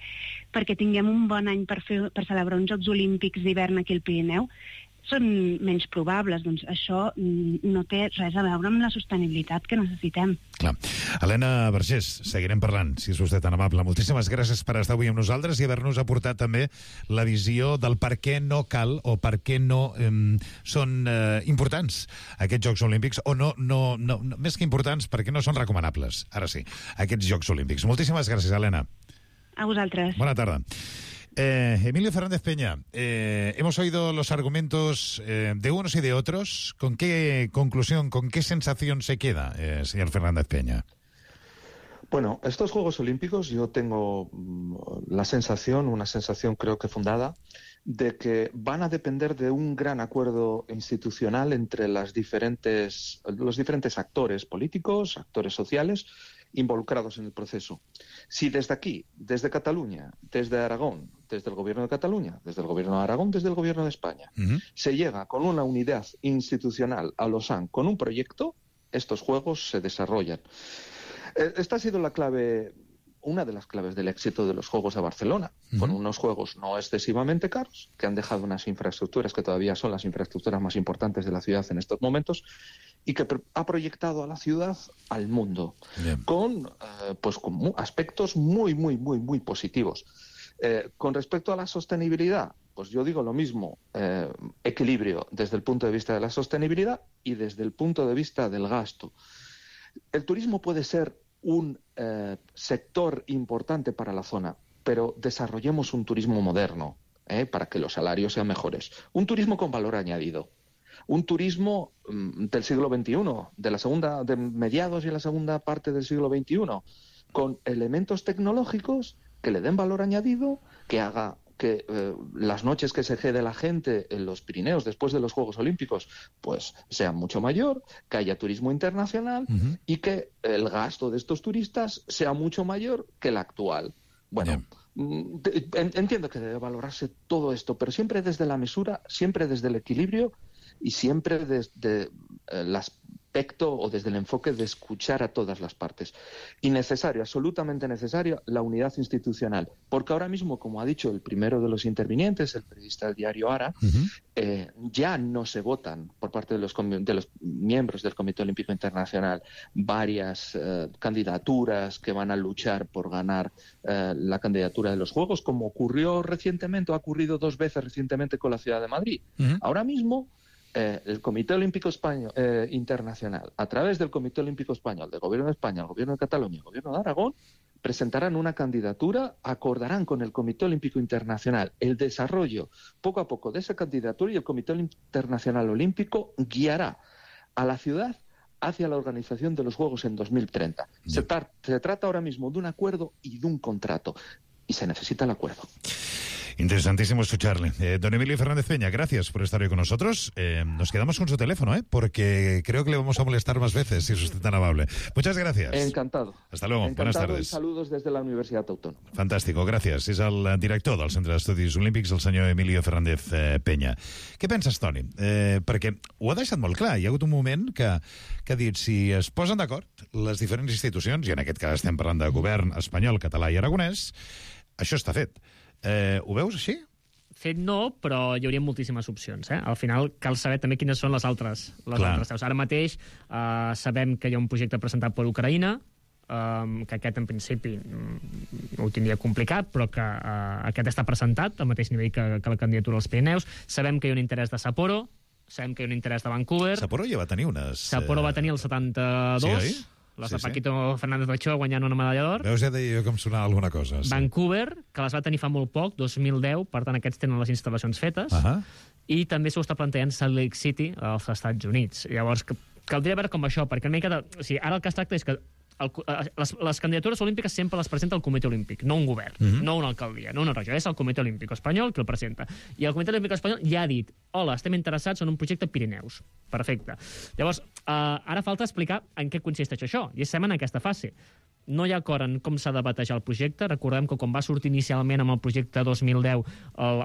tinguem un bon any per celebrar uns Jocs Olímpics d'hivern aquí al Pirineu són menys probables, doncs això no té res a veure amb la sostenibilitat que necessitem. Clar. Helena Vergés, seguirem parlant, si és vostè tan amable. Moltíssimes gràcies per estar avui amb nosaltres i haver-nos aportat també la visió del per què no cal o per què no són importants aquests Jocs Olímpics, o no, més que importants, perquè no són recomanables, ara sí, aquests Jocs Olímpics. Moltíssimes gràcies, Helena. A vosaltres. Bona tarda. Emilio Fernández Peña, hemos oído los argumentos de unos y de otros. ¿Con qué conclusión, con qué sensación se queda, señor Fernández Peña? Bueno, estos Juegos Olímpicos yo tengo una sensación creo que fundada, de que van a depender de un gran acuerdo institucional entre los diferentes actores políticos, actores sociales, involucrados en el proceso. Si desde aquí, desde Cataluña, desde Aragón, desde el Gobierno de Cataluña, desde el Gobierno de Aragón, desde el Gobierno de España, se llega con una unidad institucional a Lausanne con un proyecto, estos Juegos se desarrollan. Esta ha sido la clave, una de las claves del éxito de los Juegos de Barcelona. Fueron unos Juegos no excesivamente caros, que han dejado unas infraestructuras que todavía son las infraestructuras más importantes de la ciudad en estos momentos, y que ha proyectado a la ciudad al mundo, con aspectos muy, muy, muy, muy positivos. Con respecto a la sostenibilidad, pues yo digo lo mismo, equilibrio desde el punto de vista de la sostenibilidad y desde el punto de vista del gasto. El turismo puede ser un sector importante para la zona, pero desarrollemos un turismo moderno, para que los salarios sean mejores. Un turismo con valor añadido. Un turismo del siglo XXI, de mediados y la segunda parte del siglo XXI, con elementos tecnológicos que le den valor añadido, que haga que las noches que se quede la gente en los Pirineos después de los Juegos Olímpicos pues sean mucho mayor, que haya turismo internacional y que el gasto de estos turistas sea mucho mayor que el actual. Bueno, entiendo que debe valorarse todo esto, pero siempre desde la mesura, siempre desde el equilibrio y siempre desde las aspecto o desde el enfoque de escuchar a todas las partes. Y necesario, absolutamente necesaria, la unidad institucional. Porque ahora mismo, como ha dicho el primero de los intervinientes, el periodista del diario Ara, ya no se votan por parte de los miembros del Comité Olímpico Internacional varias candidaturas que van a luchar por ganar la candidatura de los Juegos, como ocurrió recientemente, o ha ocurrido 2 veces recientemente con la ciudad de Madrid. Ahora mismo, el Comité Olímpico Internacional, a través del Comité Olímpico Español, del Gobierno de España, el Gobierno de Cataluña y el Gobierno de Aragón, presentarán una candidatura, acordarán con el Comité Olímpico Internacional el desarrollo poco a poco de esa candidatura, y el Comité Internacional Olímpico guiará a la ciudad hacia la organización de los Juegos en 2030. Se trata ahora mismo de un acuerdo y de un contrato, y se necesita el acuerdo. Interesantísimo escucharle. Don Emilio Fernández Peña, gracias por estar hoy con nosotros. Nos quedamos con su teléfono, porque creo que le vamos a molestar más veces, si es usted tan amable. Muchas gracias. Encantado. Hasta luego. Encantado. Buenas tardes. Saludos des de la Universitat Autònoma. Fantàstic, gràcies. És el director del Centre d'Estudis Olímpics, el senyor Emilio Fernández Peña. Què penses, Toni? Perquè ho ha deixat molt clar. Hi ha hagut un moment que ha dit, si es posen d'acord les diferents institucions, i en aquest cas estem parlant de govern espanyol, català i aragonès, això està fet. Ho veus així? Fet no, però hi hauria moltíssimes opcions. Al final cal saber també quines són les altres seus. Ara mateix sabem que hi ha un projecte presentat per Ucraïna, que aquest en principi ho tindria complicat, però que aquest està presentat al mateix nivell que la candidatura als Pirineus. Sabem que hi ha un interès de Sapporo, sabem que hi ha un interès de Vancouver. Sapporo ja va tenir unes... Sapporo va tenir el 72... Sí, oi? Les de Paquito Fernández Ochoa guanyant una medalla d'or. Veus, ja deia jo que em sonava alguna cosa. Vancouver, que les va tenir fa molt poc, 2010, per tant aquests tenen les instal·lacions fetes, i també s'ho està plantejant Salt Lake City als Estats Units. Llavors, caldria veure com això, perquè una mica ara el que es tracta és que les candidatures olímpiques sempre les presenta el Comitè Olímpic, no un govern, no una alcaldia, no una regió, és el Comitè Olímpic Espanyol qui el presenta. I el Comitè Olímpic Espanyol ja ha dit, hola, estem interessats en un projecte Pirineus. Perfecte. Llavors, ara falta explicar en què consisteix això, i estem en aquesta fase. No hi ha acord en com s'ha de batejar el projecte. Recordem que quan va sortir inicialment amb el projecte 2010,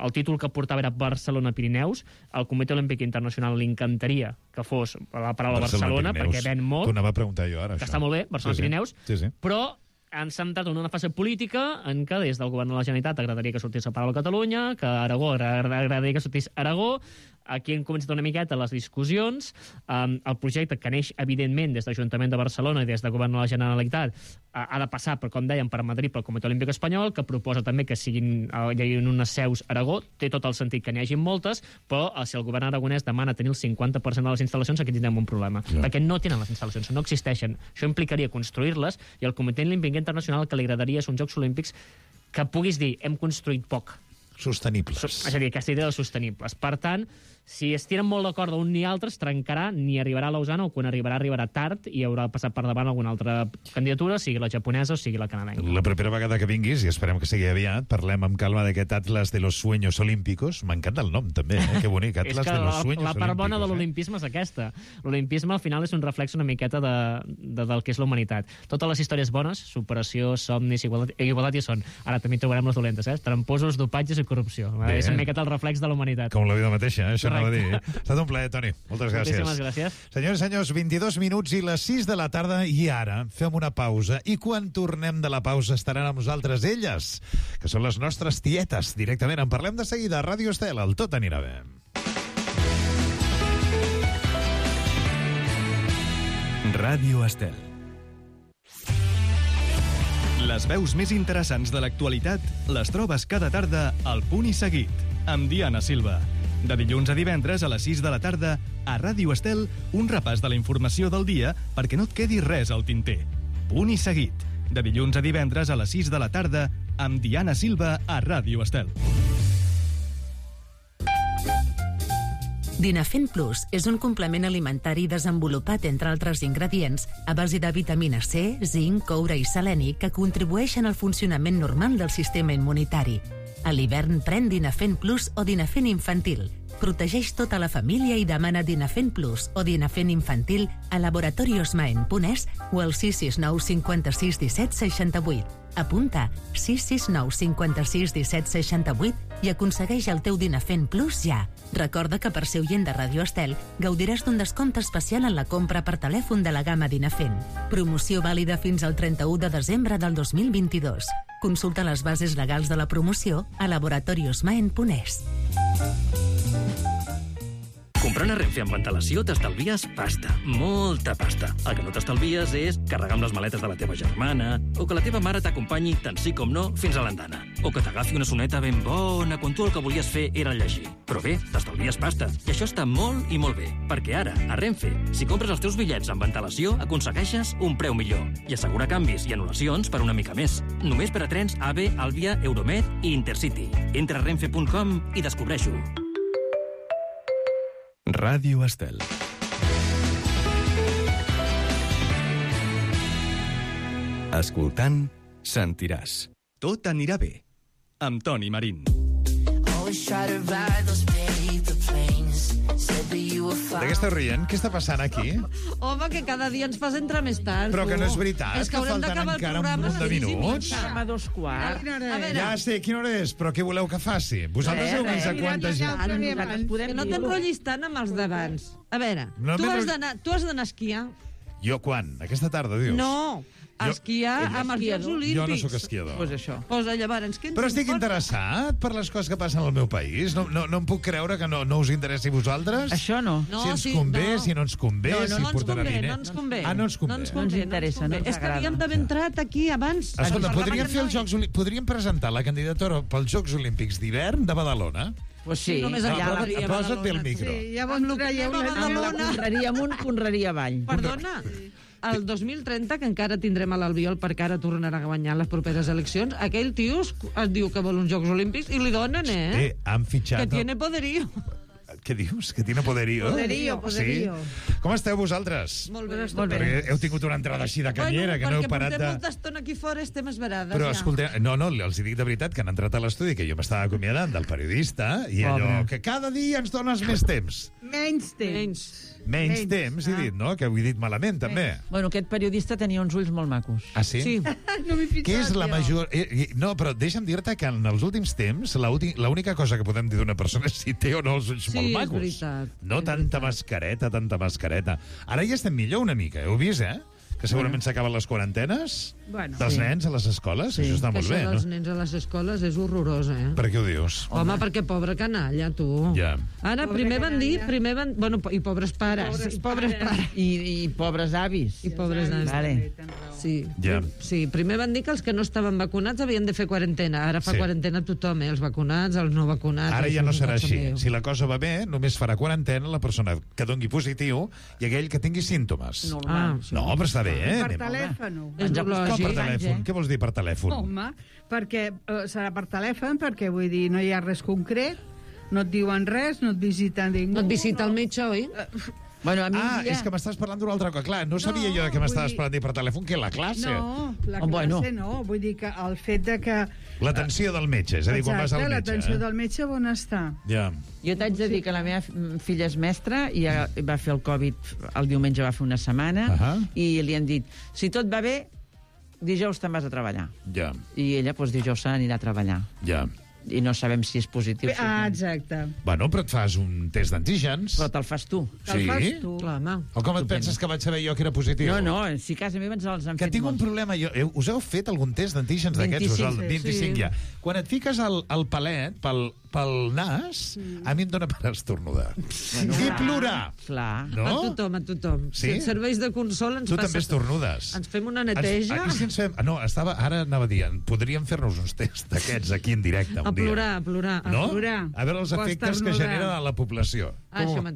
el títol que portava era Barcelona-Pirineus. Al Comitè Olímpic Internacional li encantaria que fos la paraula Barcelona, perquè ven molt. T'ho anava a preguntar jo ara, que està molt bé, Barcelona-Pirineus, però ens hem entrat en una fase política en què des del govern de la Generalitat agradaria que sortís la paraula Catalunya, que a Aragó agradaria que sortís Aragó. Aquí hem començat una miqueta les discussions. El projecte, que neix evidentment des de l'Ajuntament de Barcelona i des del govern de la Generalitat, ha de passar, com dèiem, per Madrid, pel Comitè Olímpic Espanyol, que proposa també que hi hagi unes seus a Aragó. Té tot el sentit que n'hi hagi moltes, però si el govern aragonès demana tenir el 50% de les instal·lacions, aquí tindrem un problema, perquè no tenen les instal·lacions, no existeixen. Això implicaria construir-les, i al Comitè Olímpic Internacional el que li agradaria són Jocs Olímpics que puguis dir, hem construït poc. Sostenibles. És a dir, aquesta idea de sostenibles. Per tant, si es tiren molt d'acord d'un ni altre, es trencarà, ni arribarà a Lausana, o quan arribarà tard i haurà passat per davant alguna altra candidatura, sigui la japonesa o sigui la canadenca. La propera vegada que vinguis, i esperem que sigui aviat, parlem amb calma d'aquest Atlas de los Sueños Olímpicos. M'encanta el nom, també, que bonic, Atlas de los Sueños Olímpicos. La part bona de l'olimpisme és aquesta. L'olimpisme, al final, és un reflex una miqueta del que és la humanitat. Totes les històries bones, superació, somnis, igualtat hi són. Ara també trobarem les dolentes, tramposos, dopatges i corrupció. És una miqueta el reflex de la humanitat. Com la vida mateixa, això anava a dir. Ha estat un plaer, Toni. Moltes gràcies. Moltíssimes gràcies. Senyors i senyors, 22 minuts i les 6 de la tarda, i ara fem una pausa. I quan tornem de la pausa estaran amb nosaltres elles, que són les nostres tietes, directament. En parlem de seguida a Ràdio Estel, el Tot anirà bé. Ràdio Estel. Les veus més interessants de l'actualitat les trobes cada tarda al Punt i Seguit, amb Diana Silva. De dilluns a divendres a les 6 de la tarda, a Ràdio Estel, un repàs de la informació del dia perquè no et quedi res al tinter. Punt i Seguit. De dilluns a divendres a les 6 de la tarda, amb Diana Silva a Ràdio Estel. Dinafen Plus és un complement alimentari desenvolupat, entre altres ingredients, a base de vitamina C, zinc, coure i seleni que contribueixen al funcionament normal del sistema immunitari. A l'hivern pren Dinafen Plus o Dinafen Infantil. Protegeix tota la família i demana Dinafen Plus o Dinafen Infantil a laboratoriosmaen.es o al 669 56 17 68. Apunta 669 56 17 68 i aconsegueix el teu Dinafen Plus ja. Recorda que per ser oient de Radio Estel gaudiràs d'un descompte especial en la compra per telèfon de la gamma Dinafen. Promoció vàlida fins al 31 de desembre del 2022. Consulta les bases legals de la promoció a laboratoriosmaen.es. Comprant a Renfe amb antelació t'estalvies pasta, molta pasta. El que no t'estalvies és carregar amb les maletes de la teva germana, o que la teva mare t'acompanyi tant sí com no fins a l'andana, o que t'agafi una soneta ben bona quan tu el que volies fer era llegir. Però bé, t'estalvies pasta, i això està molt i molt bé, perquè ara, a Renfe, si compres els teus bitllets amb antelació, aconsegueixes un preu millor i assegura canvis i anul·lacions per una mica més. Només per a trens AVE, Alvia, Euromed i Intercity. Entra a renfe.com i descobreix-ho. Ràdio Estel. Escoltant, sentiràs. Tot anirà bé. Amb Toni Marín. De què esteu rient? Què està passant aquí? Home, que cada dia ens fas entrar més tard. Però que no és veritat, és que haurem d'acabar el programa un de minuts. a 2:15. Ja sé, quina hora és, però què voleu que faci? Vosaltres heu vist a quanta gent... Que no t'enrotllis tant amb els d'abans. A veure, tu has d'anar a esquiar. Jo quan? Aquesta tarda, dius? No, a esquiar amb els Jocs Olímpics. Jo no sóc esquiador. Pues això. Pues llavors, què ens Però estic interessat per les coses que passen al meu país. No em puc creure que no us interessi a vosaltres. Això no. Si ens convé, si no ens convé, si portarà diners. No ens convé. Ah, no ens convé. No ens interessa. És que havíem d'haver entrat aquí abans. Escolta, podríem presentar la candidatura pels Jocs Olímpics d'hivern de Badalona? Pues sí. Només allà posa't bé el micro. Sí, ja vam traieu la Badalona. Conreria amunt, conreria avall. Perdona, el 2030, que encara tindrem a l'Albiol perquè ara tornarà a guanyar les properes eleccions, aquell tio es diu que vol uns Jocs Olímpics i li donen, Han fitxat... Que tiene poderío. Què dius? Que tiene poderío? Poderío. Sí? Com esteu vosaltres? Molt bé. Perquè heu tingut una entrada així de canyera, que no heu parat de... Perquè portem molta estona aquí fora, estem esverades. Però, escolta, no, els dic de veritat que han entrat a l'estudi, que jo m'estava acomiadant del periodista, i allò, que cada dia ens dones més temps. Menys temps. Menys temps, he dit, no? Que ho he dit malament, també. Bueno, aquest periodista tenia uns ulls molt macos. Ah, sí? Sí. No m'he fixat, Què és la major... No, però deixa'm dir-te que en els últims temps l'única cosa que podem dir d'una persona és si té o no els ulls molt macos. Sí, és veritat. No tanta mascareta. Ara ja estem millor una mica, heu vist, Que segurament s'acaben les quarantenes dels nens a les escoles. Això està molt bé, no? Això dels nens a les escoles és horrorós, Per què ho dius? Home, perquè pobre canalla, tu. Ja. Ara, primer van dir... Bueno, i pobres pares. Pobres pares. I pobres avis. I pobres avis. Vale. Sí. Ja. Sí, primer van dir que els que no estaven vacunats havien de fer quarantena. Ara fa quarantena tothom, els vacunats, els no vacunats... Ara ja no serà així. Si la cosa va bé, només farà quarantena la persona que doni positiu i aquell que tingui símptomes. No, però està bé, Per telèfon. És com per telèfon? Què vols dir per telèfon? Home, perquè serà per telèfon, perquè vull dir, no hi ha res concret, no et diuen res, no et visita ningú. No et visita el metge, oi? Bueno, a mi és que m'estàs parlant d'una altra cosa. Clar, no sabia jo que m'estaves parlant per telèfon, que la classe. No, la classe no. Vull dir que el fet de que... L'atenció del metge, és a dir, quan vas al metge. L'atenció del metge on està. Ja. Jo t'haig de dir que la meva filla és mestra i va fer el Covid, el diumenge va fer una setmana, i li han dit, si tot va bé, dijous te'n vas a treballar. Ja. I ella, doncs, dijous se n'anirà a treballar. Ja. I no sabem si és positiu. Exacte. Bueno, però et fas un test d'antígens. Però te'l fas tu. Sí? Clar, home. O com et penses que vaig saber jo que era positiu? No, si a casa meva ens els han fet tinc un problema. Us heu fet algun test d'antígens d'aquests? 25 ja. Quan et fiques el palet pel nas, a mi em dóna per estornudar. I plorar. Clar. No? A tothom. Sí? Serveis de consol ens Tu passa... també estornudes. Ens fem una neteja. Aquí si ens fem... No, ara anava dient, podríem fer-nos uns tests d'aquests aquí en directe un dia. A plorar. No? A veure els efectes que genera a la població.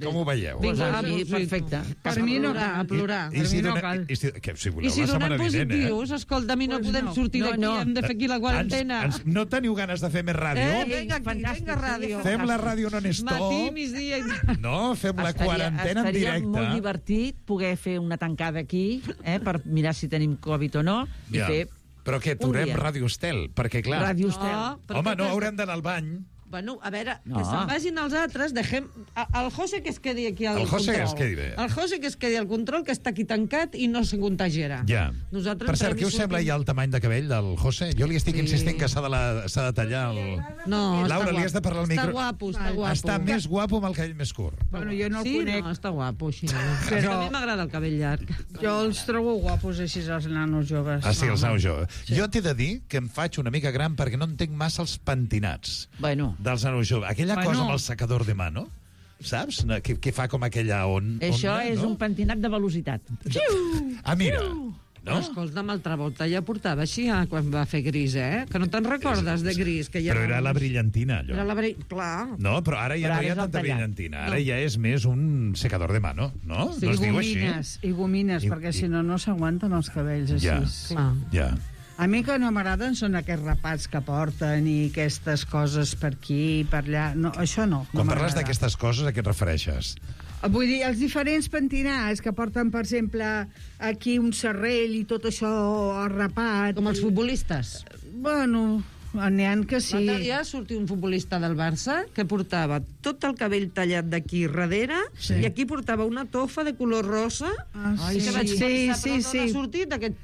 Com ho veieu? Perfecte. Per mi no cal. A plorar. I si donem positius, escolta, a mi no podem sortir d'aquí, hem de fer aquí la quarantena. No teniu ganes de fer més ràdio? Vinga, ràdio. Fem la ràdio non-stop. Matí, migdia... No, fem la quarantena en directe. Estaria molt divertit poder fer una tancada aquí, per mirar si tenim Covid o no, i fer... Però què, aturem Ràdio Estel? Perquè, clar... Ràdio Estel. Home, no haurem d'anar al bany. Bueno, a veure, No. que se'n vagin els altres, deixem... El José que es quedi aquí al El José control. que es quedi bé. El José que es quedi al control, que està aquí tancat i no se contagiarà. Ja. Nosaltres Per cert, què us sembla ja el tamany de cabell del José? Jo li estic insistint que s'ha de tallar el... No, Laura, està li has de parlar al micro. Està guapo, està guapo. Està més guapo amb el cabell més curt. Bueno, jo no el sí, conec. no, està guapo, així. Però- A mi m'agrada el cabell llarg. Jo els trobo guapos així, els nanos joves. Ah, sí, els nanos joves. Sí. Jo t'he de dir que em faig una mica gran perquè no entenc massa els pentinats dels nanos joves. Aquella cosa amb el secador de mano, saps? Que fa com aquella Això onda, és no? un pentinat de velocitat. Ah, mira. No? Escolta'm, el Travolta ja portava així quan va fer Gris, eh? Que no te'n recordes de Gris? Que ja Però era la brillantina, allò. Era la Clar. No, però ara ja Però no ara hi ha és el tanta tallat. brillantina. Ara No. ja és més un secador de mano, no? Sí, no es diu així? i gomines, perquè si no, no s'aguanten els cabells així. Ja, ja. A mi que no m'agraden són aquests rapats que porten i aquestes coses per aquí i per allà. No, això no. Quan no parles m'agrada. d'aquestes coses, a què et refereixes? Vull dir, els diferents pentinats que porten, per exemple, aquí un serrell i tot això arrapat. Com els futbolistes? Bueno, n'hi ha que sí. L'altre dia sortia un futbolista del Barça que portava tot el cabell tallat d'aquí darrere i aquí portava una tofa de color rosa. Ai, que sí. vaig Sí, pensar, sí, però d'on sí. ha sortit aquest...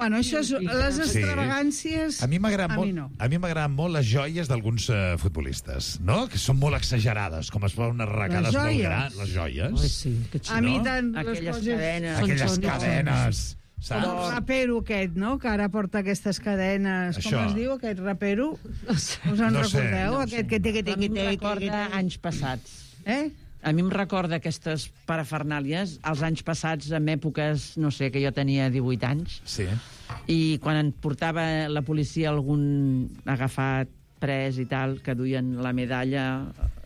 Bueno, això és les extravagàncies... A mi m'agraden molt, no. a mi m'agraden molt les joies d'alguns futbolistes, no? Que són molt exagerades, com es fan unes arracades molt joies? grans. Les joies. Ai, sí, que A mi tant les Aquelles coses... cadenes. Aquelles cadenes, El saps? rapero aquest, no?, que ara porta aquestes cadenes. Això. Com es diu, aquest rapero? Us en No sé. recordeu? No Aquest que té, A mi em recorda anys passats. A mi em recorda aquestes parafernàlies als anys passats, en èpoques, no sé, que jo tenia 18 anys, Sí. i quan en portava la policia algun agafat, pres i tal, que duien la medalla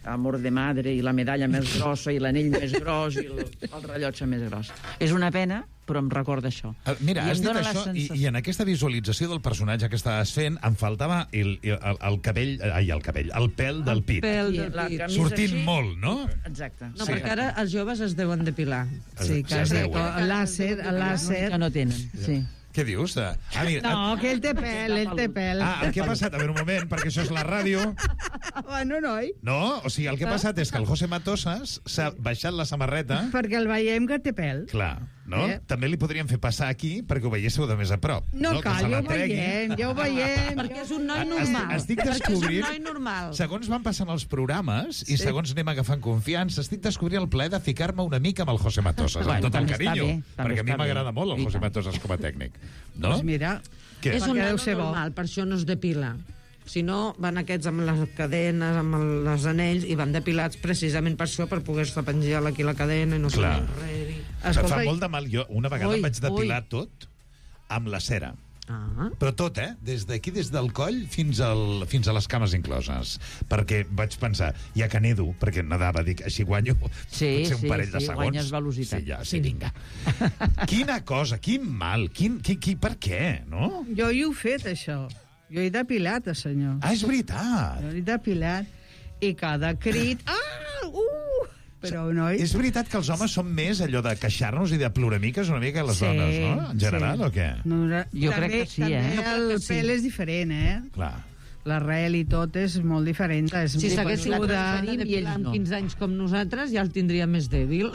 Amor de Madre, i la medalla més grossa, i l'anell més gros, i el rellotge més gros. És una pena, però em recorda això. Mira, I has em dit dóna la això sensació- i en aquesta visualització del personatge que estaves fent em faltava el cabell, el pèl del pit. Pèl del la pit. camisa Sortint així. molt, no? Exacte. No, perquè ara els joves es deuen depilar. Sí, que es sí, deuen. el làser. Que no tenen, sí. Què dius? Mira, No, que ell té pèl, ell té pèl. el que ha passat, a veure un moment, perquè això és la ràdio. Bueno, noi, No, o sigui, el que ha passat és que el José Matosas s'ha baixat la samarreta. perquè el veiem que té pèl. Clar, no? També li podríem fer passar aquí perquè ho veiéssiu de més a prop. No Que cal, se la ja ho tregui. veiem, ja ho veiem. Perquè és un noi normal. Estic Perquè és descobrint... un noi normal. Segons van passant els programes i segons anem agafant confiança, estic descobrint el plaer de ficar-me una mica amb el José Matosas, amb tot el també està carinyo. bé, també Perquè a mi està bé. m'agrada molt el I José tant. Matosas com a tècnic. No? Doncs mira, Què? És un Perquè noi deu ser bo. normal, per això no es depila. Si no, van aquests amb les cadenes, amb les anells, i van depilats precisament per això, per poder-se penjar aquí la cadena i no Clar. sé res. Em fa molt de mal. Jo una vegada Ui, em vaig depilar ui. tot amb la cera. Ah. Però tot, des d'aquí, des del coll fins a les cames incloses. Perquè vaig pensar, ja que nedo, perquè nedava, dic, així guanyo potser un parell de segons. guanyes velocitat. Sí, sí, vinga. Quina cosa, quin mal, per què, no? jo hi he fet, això. Jo he depilat, el senyor. Ah, és veritat. Jo he depilat. I cada crit... Però, noi... És veritat que els homes són més allò de queixar-nos i de ploramiques una mica que les Sí, dones, no? En general, sí. o què? No, Jo crec que sí, també Jo crec el que sí. pèl és diferent, Clar. L'arrel i tot és molt diferent. És Si s'haguessin gruixuda. depilat amb 15 anys com nosaltres, ja el tindria més dèbil.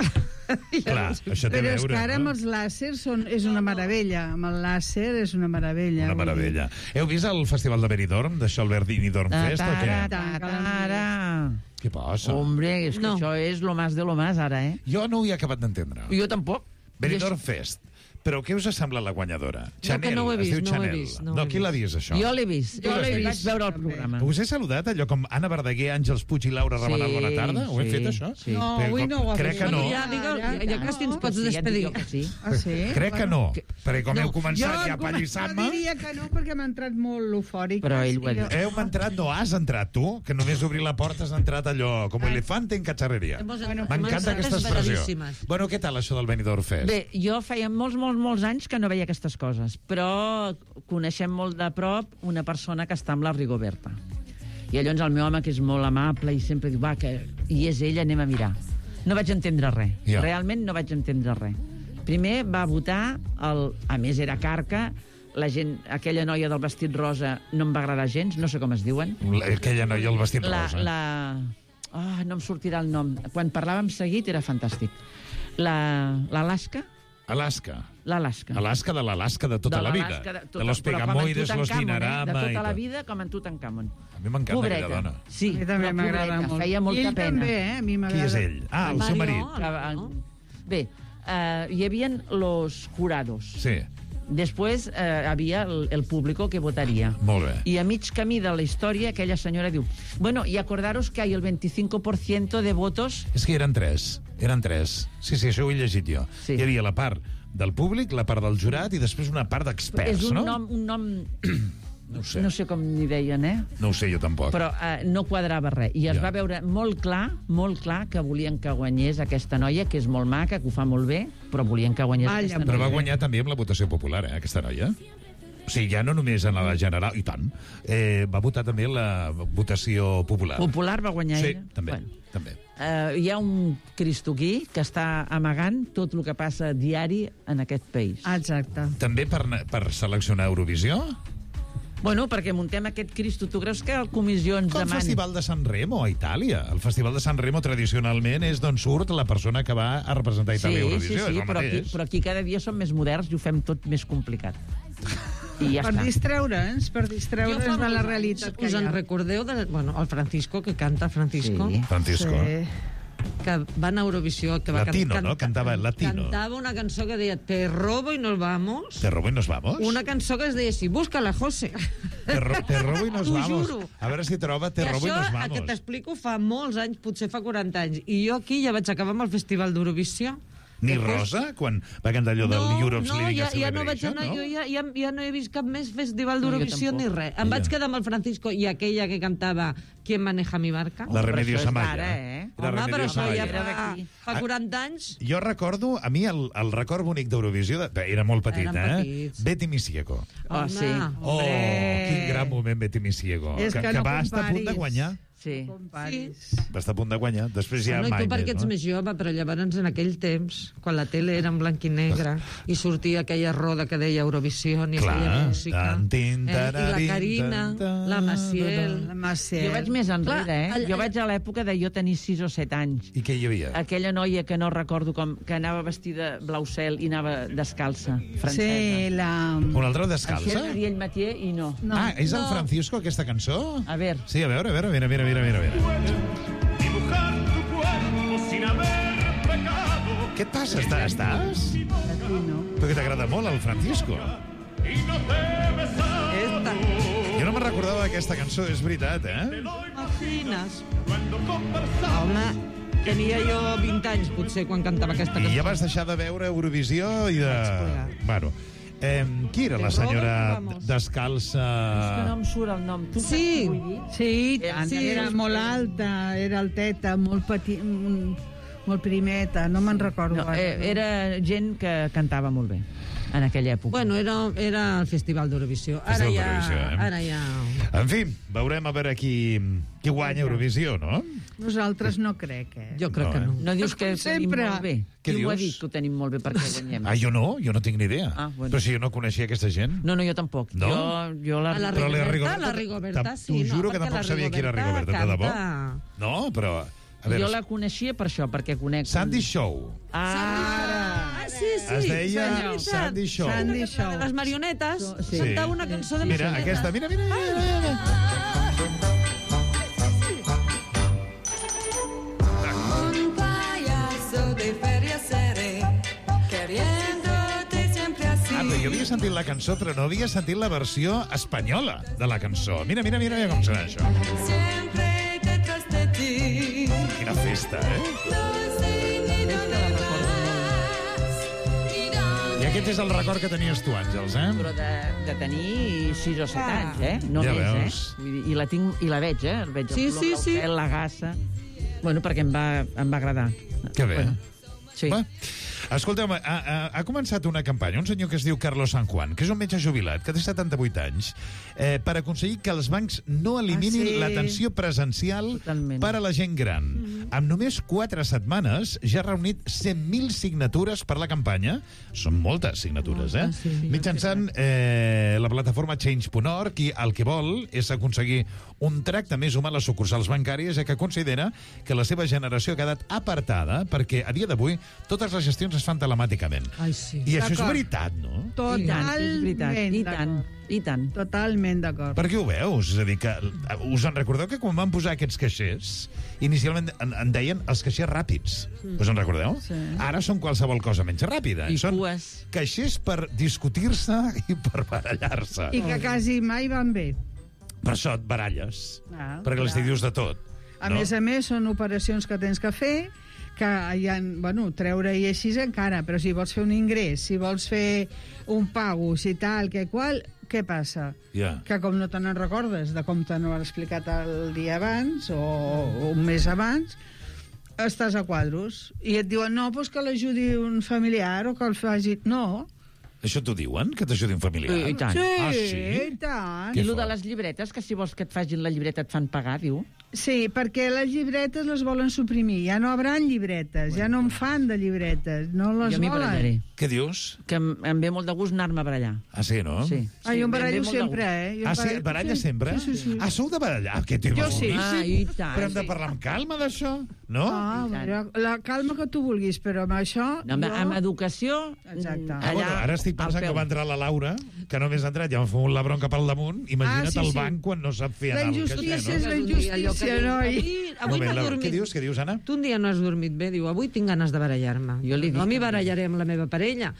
Clar, això té a Però és veure, que ara no? amb els làsers és una meravella. Amb el làser és una meravella. Una meravella. Heu vist el Festival de Benidorm, d'això el Verdini Dorm Fest, o què? Tara. Què passa? Hombre, és que això és lo más de lo más, ara, Jo no ho he acabat d'entendre. Jo tampoc. Benidorm Fest. Però què us ha semblat la guanyadora? Chanel, no ho he es diu vist, no ho he Chanel. vist, no ho No, he qui l'ha vist, això? Jo l'he vist. Jo l'he Vaig vist, veure el també. programa. Us he saludat, allò com Anna Verdaguer, Àngels Puig i Laura Rabanal, Sí, bona tarda? Ho hem sí, fet, això? sí. No, Perquè avui no ho ha Crec fet. que no. Ja, ja quasi ens pots despedir. Ja et dic que sí. Ah, sí? Crec que no, perquè com No, heu començat ja a Jo pallissar-me... diria que no, perquè m'ha entrat molt eufòric. Però ell ho ha dit. Heu entrat, no has entrat, tu? Que només obrir la porta has entrat allò, com elefante en cacharreria. M'encanta aquesta expressió. Bueno, què tal això del Benidorm Fest? Bé, jo feia molts anys que no veia aquestes coses, però coneixem molt de prop una persona que està amb la Rigoberta. I llavors el meu home, que és molt amable i sempre diu, va, que i és ell, anem a mirar. No vaig entendre res. Ja. Realment no vaig entendre res. Primer va votar, a més era carca, la gent, aquella noia del vestit rosa no em va agradar gens, no sé com es diuen. Aquella noia del vestit rosa. No em sortirà el nom. Quan parlàvem seguit era fantàstic. L'Alaska? L'Alaska de l'Alaska de tota la vida. De los Pegamoides, los Dinarama... De tota la vida, com en Tutankamon. A mi m'encanta aquella dona. Sí, a mi també m'agrada molt. Feia molta pena. Ell també, a mi m'agrada. Qui és ell? El seu marit. Bé, hi havia los jurados. Sí. Després havia el público que votaria. Molt bé. I a mig camí de la història, aquella senyora diu, bueno, y acordaros que hay el 25% de votos... És que eren tres. Sí, això ho he llegit jo. Sí. Hi havia la part del públic, la part del jurat i després una part d'experts, no? És un nom... No sé. No sé com n'hi deien, No ho sé, jo tampoc. Però no quadrava res. I es va veure molt clar que volien que guanyés aquesta noia, que és molt maca, que ho fa molt bé, però volien que guanyés aquesta noia. Però va guanyar també amb la votació popular, aquesta noia. O sigui, ja no només en la general, i tant. Va votar també en la votació popular. Popular va guanyar ella? Sí, també. Hi ha un cristoquí que està amagant tot el que passa diari en aquest país. Exacte. També per seleccionar Eurovisió? Bueno, perquè muntem aquest Cristo. Tu creus que el comissió ens demani... Com el Festival de San Remo a Itàlia. El Festival de San Remo tradicionalment és d'on surt la persona que va a representar Itàlia a Eurovisió. Sí, però aquí cada dia som més moderns i ho fem tot més complicat. I ja per distreure'ns de la realitat que hi ha. Us en recordeu el Francisco, que canta Francisco? Sí. Francisco. Sí. Que va a Eurovisió, que va Latino, ¿no? Cantava latino. Cantava una cançó que deia Te robo y nos vamos. ¿Te robo y nos vamos? Una cançó que es deia així, búscala, José. Te robo y nos vamos. Juro. A veure si troba Te robo y nos vamos. Això, que t'explico, fa molts anys, potser fa 40 anys. I jo aquí ja vaig acabar amb el Festival d'Eurovisió. Ni Rosa, quan va cantar allò del Europe's Living Celebration, no? No, ja no vaig anar, jo ja no he vist cap més festival d'Eurovisió ni res. Em vaig quedar amb el Francisco i aquella que cantava ¿Quién maneja mi barca? La Remedios Amaya. Home, però això ja fa 40 anys. Jo recordo, a mi el record bonic d'Eurovisió, era molt petit, Betty Misiego. Oh, sí. Oh, quin gran moment Betty Misiego. Que va estar a punt de guanyar. Sí. Va estar a punt de guanyar. Després ja mai més, no? I tu perquè ets més jove, però llavors en aquell temps, quan la tele era en blanc i negre, i sortia aquella roda que deia Eurovisió, i feia música. I la Carina, la Maciel. Jo vaig més enrere, Jo vaig a l'època de jo tenir 6 o 7 anys. I què hi havia? Aquella noia que no recordo com, que anava vestida blau cel i anava descalça, francesa. Sí, una altra descalça? Això és Ariel Mathieu i no. Ah, és el Francisco, aquesta cançó? A veure. Sí, a veure, mira. Què et passa? Estàs? Però que t'agrada molt el Francisco. Jo no me'n recordava d'aquesta cançó, és veritat, Imaginas. Home, tenia jo 20 anys, potser, quan cantava aquesta cançó. I ja vas deixar de veure Eurovisió i de... Bueno... qui era la senyora descalça? És que no em surt el nom. Sí, era molt alta, era alteta, molt petit, molt primeta, no me'n recordo. Era gent que cantava molt bé en aquella època. Bueno, era el Festival d'Eurovisió. Ara ja... En fi, veurem a veure qui guanya Eurovisió, no? Nosaltres no crec, Jo crec que no. No dius que ho tenim molt bé? Què dius? Qui ho ha dit que ho tenim molt bé perquè guanyem? Jo no tinc ni idea. Però si jo no coneixia aquesta gent. No, jo tampoc. No? La Rigoberta, sí. T'ho juro que tampoc sabia qui era Rigoberta, de debò. No, però... Jo la coneixia per això, perquè conec... Sandy Shaw. Sí. Es deia Sandy Shaw. Les marionetes. Cantava una cançó de marionetes. Mira, aquesta, mira. Un payaso de feria seré, queriéndote siempre así. Jo havia sentit la cançó, però no havia sentit la versió espanyola de la cançó. Mira com serà això. Siempre detrás de ti. Quina festa, I aquest és el record que tenies tu, Àngels, Però de tenir 6 o 7 anys, No ja més, veus. I la tinc, i la veig, El veig el color del pèl, la gassa. Bueno, perquè em va agradar. Que bé. Sí. Escolteu, ha començat una campanya, un senyor que es diu Carlos San Juan, que és un metge jubilat, que té 78 anys, per aconseguir que els bancs no eliminin l'atenció presencial per a la gent gran. Amb només 4 setmanes ja ha reunit 100.000 signatures per la campanya. Són moltes signatures, mitjançant la plataforma Change.org, i el que vol és aconseguir un tracte més humà a les sucursals bancàries, ja que considera que la seva generació ha quedat apartada perquè a dia d'avui totes les gestions es fan telemàticament. I això és veritat, no? Totalment. I tant. Totalment d'acord. Per què ho veus? És a dir, que us en recordeu que quan van posar aquests caixers, inicialment en deien els caixers ràpids. Us en recordeu? Sí. Ara són qualsevol cosa menys ràpida. I són cues. Caixers per discutir-se i per barallar-se. I que quasi mai van bé. Per això et baralles. Perquè els dius de tot. A més, són operacions que tens que fer, que hi ha, treure i així encara, però si vols fer un ingrés, si vols fer un pago, si tal, que qual, què passa? Que com no te n'en recordes de com te n'ho han explicat el dia abans o un mes abans, estàs a quadros. I et diuen, no, doncs que l'ajudi un familiar o que el faci... No. Això t'ho diuen, que t'ajudi un familiar? I tant. Sí, i tant. I el de les llibretes, que si vols que et facin la llibreta et fan pagar, diu? Sí, perquè les llibretes les volen suprimir. Ja no hauran llibretes, ja no en fan de llibretes, no les jo m'hi volen. barallaré. Què dius? Que em ve molt de gust anar-me a barallar. Ah, sí, no? Sí. Jo em barallo sempre, Sí, et baralles sempre? Sí. Ah, sou de barallar? Jo sí. I tant. Però hem de parlar amb calma d'això, no? La calma que tu vulguis, però amb això... Amb educació... Exacte. Ara estic pensant que va entrar la Laura, que només ha entrat, ja m'ha fumut la bronca pel damunt. Imagina't el banc quan no sap fer anar el caixer, no? La injustícia és la injustícia, noi. Avui no he dormit. Què dius, Anna? Tu un dia no has dormit bé, diu, avui tinc ganes de barallar-me. Jo li dic. No m'hi barallaré amb la meva parella.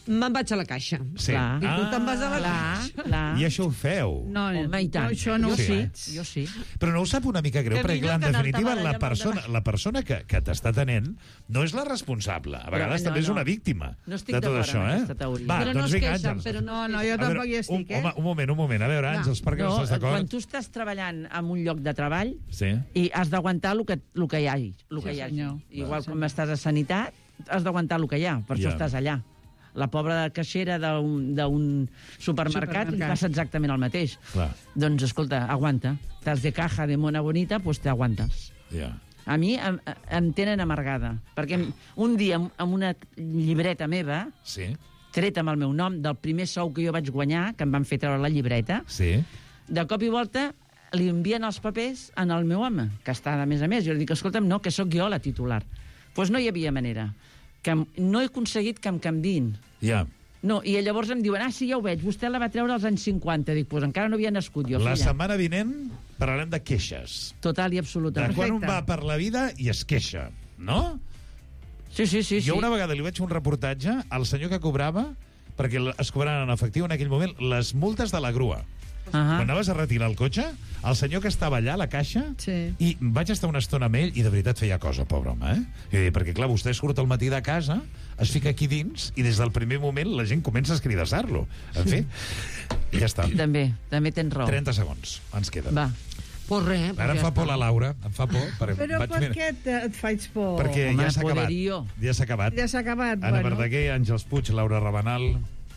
Me'n vaig a la caixa. Sí. I tu te'n vas a la caixa. I això ho feu? No, i tant. Això no ho sé. Jo sí. Però no us sap una mica greu, Que perquè millor en que anar-te definitiva barallant la persona que t'està atenent no és la responsable. A vegades també és una víctima no estic de tot d'acord això, amb aquesta teoria. Va, però no doncs es vinga, queixen, Àngels. però No, jo tampoc hi estic, Un moment. A veure, Àngels, per què no estàs d'acord? Quan tu estàs treballant en un lloc de treball Sí. i has d'aguantar el que hi hagi. Igual com estàs a sanitat, has d'aguantar el que hi ha, per això estàs allà. La pobra caixera d'un supermercat li passa exactament el mateix. Clar. Doncs, escolta, aguanta. Estàs de caja de mona bonita, doncs te aguantes. A mi em tenen amargada, perquè un dia amb una llibreta meva, treta amb el meu nom, del primer sou que jo vaig guanyar, que em van fer treure la llibreta, de cop i volta li envien els papers al meu home, que està de més a més. Jo li dic, escolta'm, no, que sóc jo la titular. Doncs no hi havia manera. Que no he aconseguit que em canviïn. No, i llavors em diuen, sí, ja ho veig, vostè la va treure als anys 50. Dic, doncs encara no havia nascut jo, La filla. setmana vinent parlarem de queixes. Total i absoluta. De quan un va per la vida i es queixa, no? Sí. Jo una vegada li vaig fer un reportatge al senyor que cobrava, perquè es cobraven en efectiu en aquell moment, les multes de la grua. Quan anaves a retirar el cotxe, el senyor que estava allà a la caixa, i vaig estar una estona amb ell i de veritat feia cosa, pobre home, perquè clar, vostè surt al matí de casa, es fica aquí dins i des del primer moment la gent comença a escridassar-lo. En fi, i ja està. També tens raó. 30 segons ens queden. Va. Pues res. Ara em fa por la Laura, em fa por. Però per què et faig por? Perquè ja s'ha acabat. Ja s'ha acabat. Ja s'ha acabat, Anna Verdaguer, Àngels Puig, Laura Rabanal.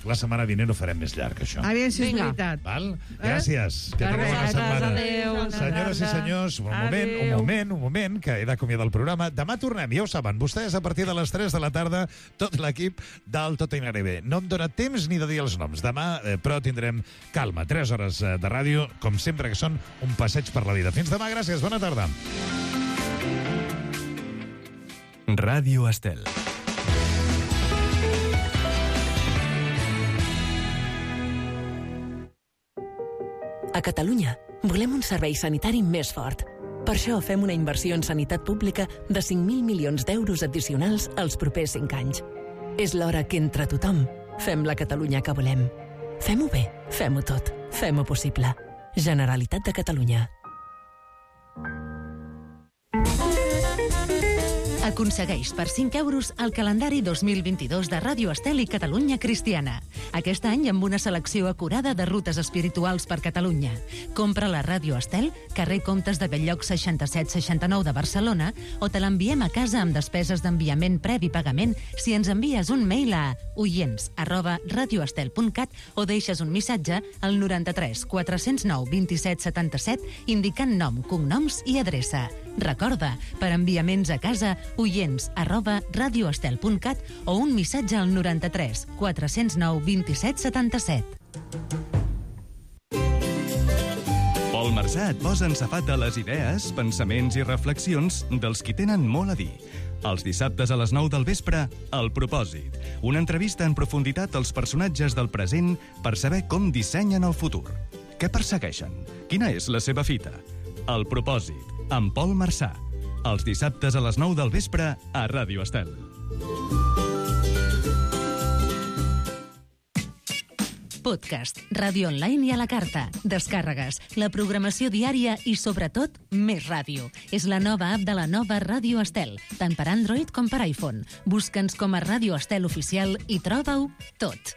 La setmana vinent ho farem més llarg, això. Aviam si és veritat. Val? Gràcies. Que tingueu una setmana. Senyores i senyors, un moment, que he d'acomiadar el programa. Demà tornem, ja ho saben, vostès a partir de les 3 de la tarda, tot l'equip del Tot anirà bé. No em dóna temps ni de dir els noms. Demà, però, tindrem calma. 3 hores de ràdio, com sempre, que són un passeig per la vida. Fins demà, gràcies, bona tarda. Ràdio Estel. A Catalunya volem un servei sanitari més fort. Per això fem una inversió en sanitat pública de 5.000 milions d'euros addicionals els propers 5 anys. És l'hora que entre tothom fem la Catalunya que volem. Fem-ho bé, fem-ho tot, fem-ho possible. Generalitat de Catalunya. Aconsegueix per 5 euros el calendari 2022 de Ràdio Estel i Catalunya Cristiana. Aquest any amb una selecció acurada de rutes espirituals per Catalunya. Compra la Ràdio Estel, carrer Comtes de Belllloc 6769 de Barcelona, o te l'enviem a casa amb despeses d'enviament previ pagament si ens envies un mail a oients@radioestel.cat o deixes un missatge al 93 409 27 77 indicant nom, cognoms i adreça. Recorda, per enviaments a casa, oients@radioestel.cat o un missatge al 93 409 27 77. Pol Marsà et posa en safata les idees, pensaments i reflexions dels qui tenen molt a dir. Els dissabtes a les 9 del vespre, El Propòsit. Una entrevista en profunditat als personatges del present per saber com dissenyen el futur. Què persegueixen? Quina és la seva fita? El Propòsit, amb Pol Marsà. Els dissabtes a les 9 del vespre a Ràdio Estel. Podcast, ràdio online i a la carta, descàrregues, la programació diària i, sobretot, més ràdio. És la nova app de la nova Ràdio Estel, tant per Android com per iPhone. Busca'ns com a Ràdio Estel Oficial i troba-ho tot.